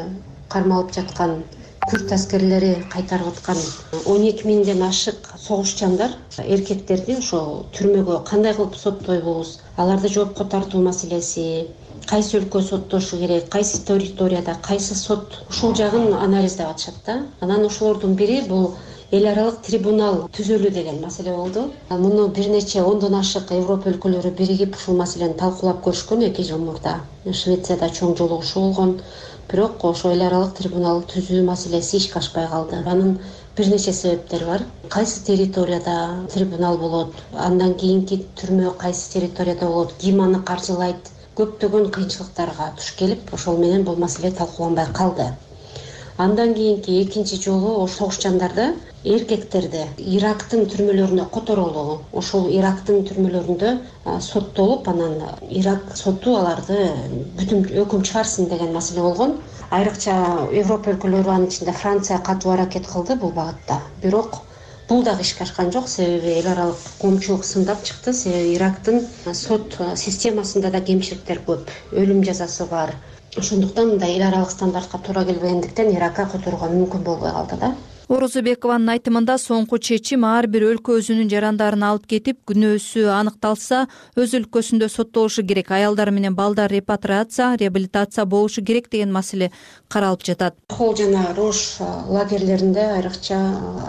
S5: кармалып жаткан күрд аскерлери кайтарып аткан 12 миңден ашык согушчандар, эркектерди ошо түрмөгө кандай кылып соттойбуз, аларды жоопко тартуу маселеси, кайсы өлкө соттошу керек, кайсы территорияда, кайсы сот, ушул жагын анализдеп атышат да. Анан ошолордун бири бул эл аралык трибунал түзөлүү деген маселе болду. Муну бир нече ондон ашык Европа өлкөлөрү биригип ушул маселени талкуулап көрүшкөн 2 жыл мурда. Швецияда чоң жолугушуу болгон. Бирок ошо эл аралык трибунал түзүү маселеси ишке ашпай калды. Анын бир нече себептери бар. Кайсы территорияда трибунал болот, андан кийинки түрмө кайсы территорияда болот, ким аны каржылайт, көптөгөн кыйынчылыктарга туш келип, ошол менен бул маселе талкууланбай калды. Андан кийинки экинчи жолу согушчандарды, эркектерди Ирактын түрмөлөрүнө которулуу. Ошол Ирактын түрмөлөрүндө соттолуп, анан Ирак соту аларды бүтүн өкүм чыгарсын деген маселе болгон. Айрыкча Европа өлкөлөрү, анын ичинде Франция катуу аракет кылды бул багытта. Бирок бул дагы ишке ашкан жок, себеби эл аралык коомчулук сындап чыкты. Себеби Ирактын сот системасында да кемчиликтер көп, өлүм жазасы бар. Ошондуктан мындай эл аралык стандартка туура келбегендиктен Иракка которууга мүмкүн болбой калды да.
S11: Орозобекованын айтымында соңку чечим ар бир өлкө өзүнүн жарандарын алып кетип, күнөөсү аныкталса, өз өлкөсүндө соттолушу керек. Аялдар менен балдар реабилитация болушу керек деген маселе каралып жатат.
S5: Хол жана Рош лагерлеринде айрыкча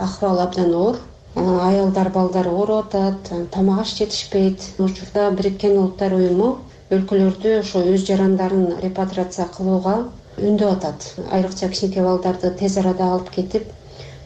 S5: акыбал абдан оор. Аялдар, балдар ооруп атат, тамак аш жетишпейт. Учурда Бириккен Улуттар уюму өлкөлөрдү ошо өз жарандарын репатриация кылууга үндөп атат. Айрыкча кичинекей балдарды тез арада алып кетип,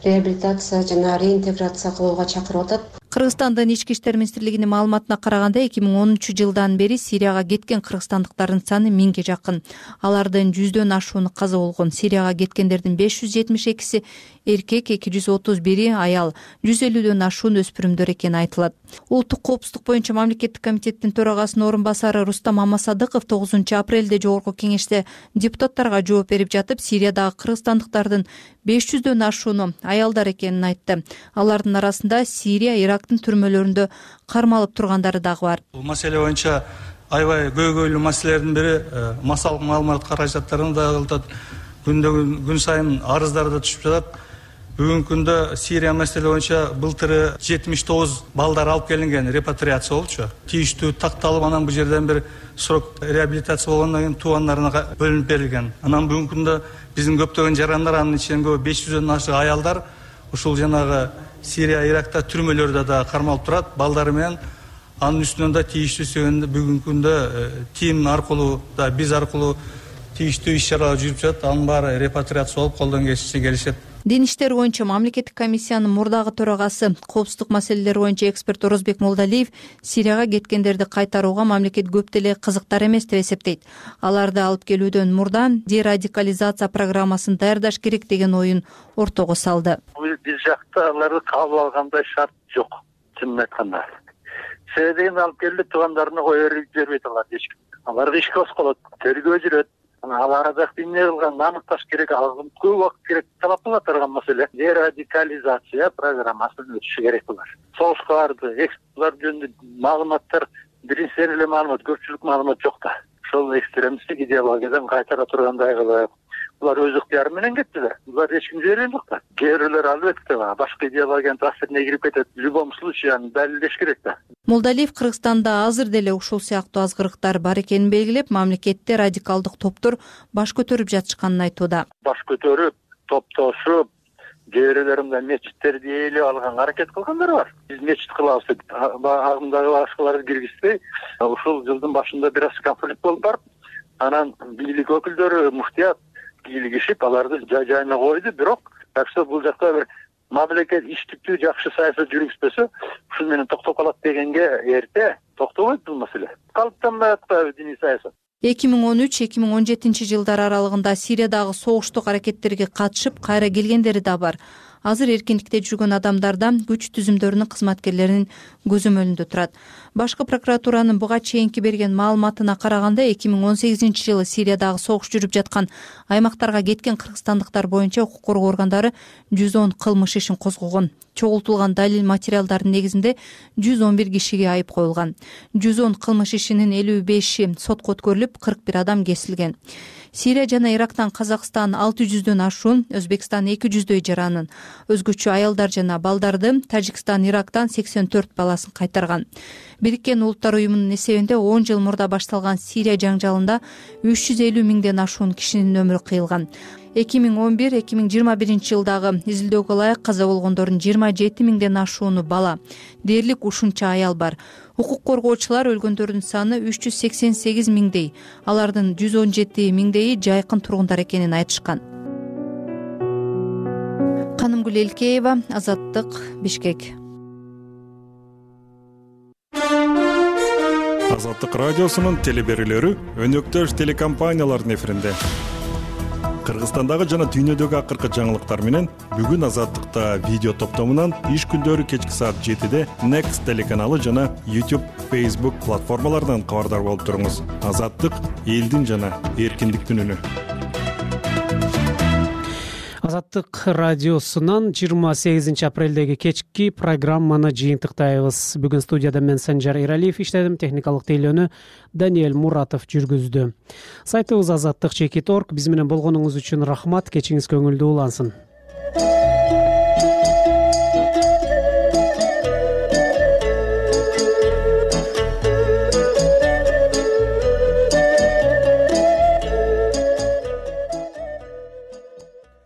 S5: реабилитация жана реинтеграция кылууга чакырып атат.
S11: Кыргызстандын ички иштер министрлигинин маалыматына караганда 2013-жылдан бери Сирияга кеткен кыргызстандыктардын саны 1000ге жакын. Алардын 100дөн ашууну каза болгон. Сирияга кеткендердин 572-си эркек, 231-и аял, 150дөн ашуун өспүрүмдөр экени айтылат. Улуттук коопсуздук боюнча мамлекеттик комитеттин төрагасынын орун басары Рустам Мамасадыков 9-апрелде жогорку кеңеште депутаттарга жооп берип жатып, Сириядагы кыргызстандыктардын 500дөн ашууну аялдар экенин айтты. Алардын арасында Сирия, Ирактын түрмөлөрүндө кармалып тургандары дагы бар.
S22: Бул маселе боюнча аябай көйгөйлүү маселелердин бири массалык маалымат каражаттарын да кылтат. Күн сайын арыздар да түшүп жатат. Бүгүнкү күндө Сирия маселе боюнча былтыры 79 балдар алып келинген, репатриация болчу. Тийиштүү такталып, анан бул жерден бир срок реабилитация болгондон кийин туугандарына бөлүнүп берилген. Анан бүгүнкү күндө биздин көптөгөн жарандар, анын ичинде 500дөн ашык аялдар ушул жанагы Сирия, Иракта түрмөлөрдө да кармалып турат. Балдары менен анын үстүнөн да тийиштүү себебинде бүгүнкү күндө тим аркылуу да биз аркылуу тийиштүү иш-чаралар жүрүп жатат. Анын баары репатриация болуп колдон келишет.
S11: Дин иштери боюнча мамлекеттик комиссиянын мурдагы төрагасы, коопсуздук маселелери боюнча эксперт Орозбек Молдалиев Сирияга кеткендерди кайтарууга мамлекет көп деле кызыктар эмес деп эсептейт. Аларды алып келүүдөн мурда дерадикализация программасын даярдаш керек деген оюн ортого салды.
S12: Биз жакта аларды кабыл алгандай шарт жок, чынын айтканда. Себебин алып келди, туугандарына кое берип жибербейт алар эч ким. Аларды ишке кошколот, тергөө жүрөт. Ал арада эмне кылганын аныкташ керек, ал көп убакыт керек, талап кылып турган маселе. Дерадикализация программасын өтүшү керек булар. Согушка барды, экспорттар жөнүндө маалыматтар, биринчи эле маалымат, көпчүлүк маалымат жок да. Ошол экстремисттик идеологиядан кайтара тургандай кылып, булар өз ыктыяры менен кетти да. Булар эч ким жиберген жок да. Кээ бирлер албетте башка идеологиянын таасирине кирип кетет. В любом случае аны далилдеш керек да.
S11: Молдалиев Кыргызстанда азыр деле ушул сыяктуу азгырыктар бар экенин белгилеп, мамлекетте радикалдык топтор баш көтөрүп жатышканын айтууда.
S12: Баш көтөрүп, топтошуп, кээ бирлеринде мечиттерди ээлеп алганга аракет кылгандар бар. Биз мечит кылабыз деп агымдагы башкаларды киргизбей, ушул жылдын башында бир аз конфликт болуп барып, анан бийлик өкүлдөрү, муфтият кийлигишип, аларды жай-жайына койду. Бирок, так что бул жакта бир мамлекет иштиктүү жакшы саясат жүргүзбөсө, ушун менен токтоп калат дегенге эрте токтобойт бул маселе. Калыптанбай атпайбы диний саясат.
S11: 2013-2017 жылдар аралыгында Сириядагы согуштук аракеттерге катышып, кайра келгендери да бар. Азыр эркиндикте жүргөн адамдарда күч түзүмдөрүнүн кызматкерлеринин көзөмөлүндө турат. Башкы прокуратуранын буга чейинки берген маалыматына караганда 2018-жылы Сириядагы согуш жүрүп жаткан аймактарга кеткен кыргызстандыктар боюнча укук коргоо органдары 110 кылмыш ишин козгогон. Чогултулган далил материалдардын негизинде 111 кишиге айып коюлган. 110 кылмыш ишинин 55и сотко өткөрүлүп, 41 адам кесилген. Сирия жана Ирактан Казакстан 600дөн ашуун, Өзбекстан 200дөй жаранын, өзгөчө аялдар жана балдарды, Тажикстан Ирактан 84 баласын кайтарган. Бириккен Улуттар уюмунун эсебинде 10 жыл мурда башталган Сирия жаңжалында 350 миңден ашуун кишинин өмүрү кыйылган. 2011-2021 жылдагы изилдөөгө ылайык каза болгондордун 27 миңден ашууну бала. Дээрлик ушунча аял бар. Укук коргоочулар өлгөндөрдүн саны 388 миңдей, алардын 117 миңдейи жайкын тургундар экенин айтышкан. Канымгүл Элкеева, Азаттык, Бишкек.
S13: Азаттык радиосунун телеберүүлөрү өнөктөш телекомпаниялардын эфиринде. Кыргызстандагы жана дүйнөдөгү акыркы жаңылыктар менен бүгүн Азаттыкта видео топтомунан иш күндөрү кечки саат 7-де Next телеканалы жана YouTube, Facebook платформаларынан кабардар болуп туруңуз. Азаттык — элдин жана эркиндиктин үнү.
S1: Азаттык радиосунан 28 апрелдеги кечки программаны жыйынтыктайбыз. Бүгүн студияда мен Санжар Эралиев иштедим, техникалык тейлөөнү Даниэль Муратов жүргүздү. Сайтыбыз azаттык.org. Биз менен болгонуңуз үчүн рахмат. Кечиңиз көңүлдүү улансын.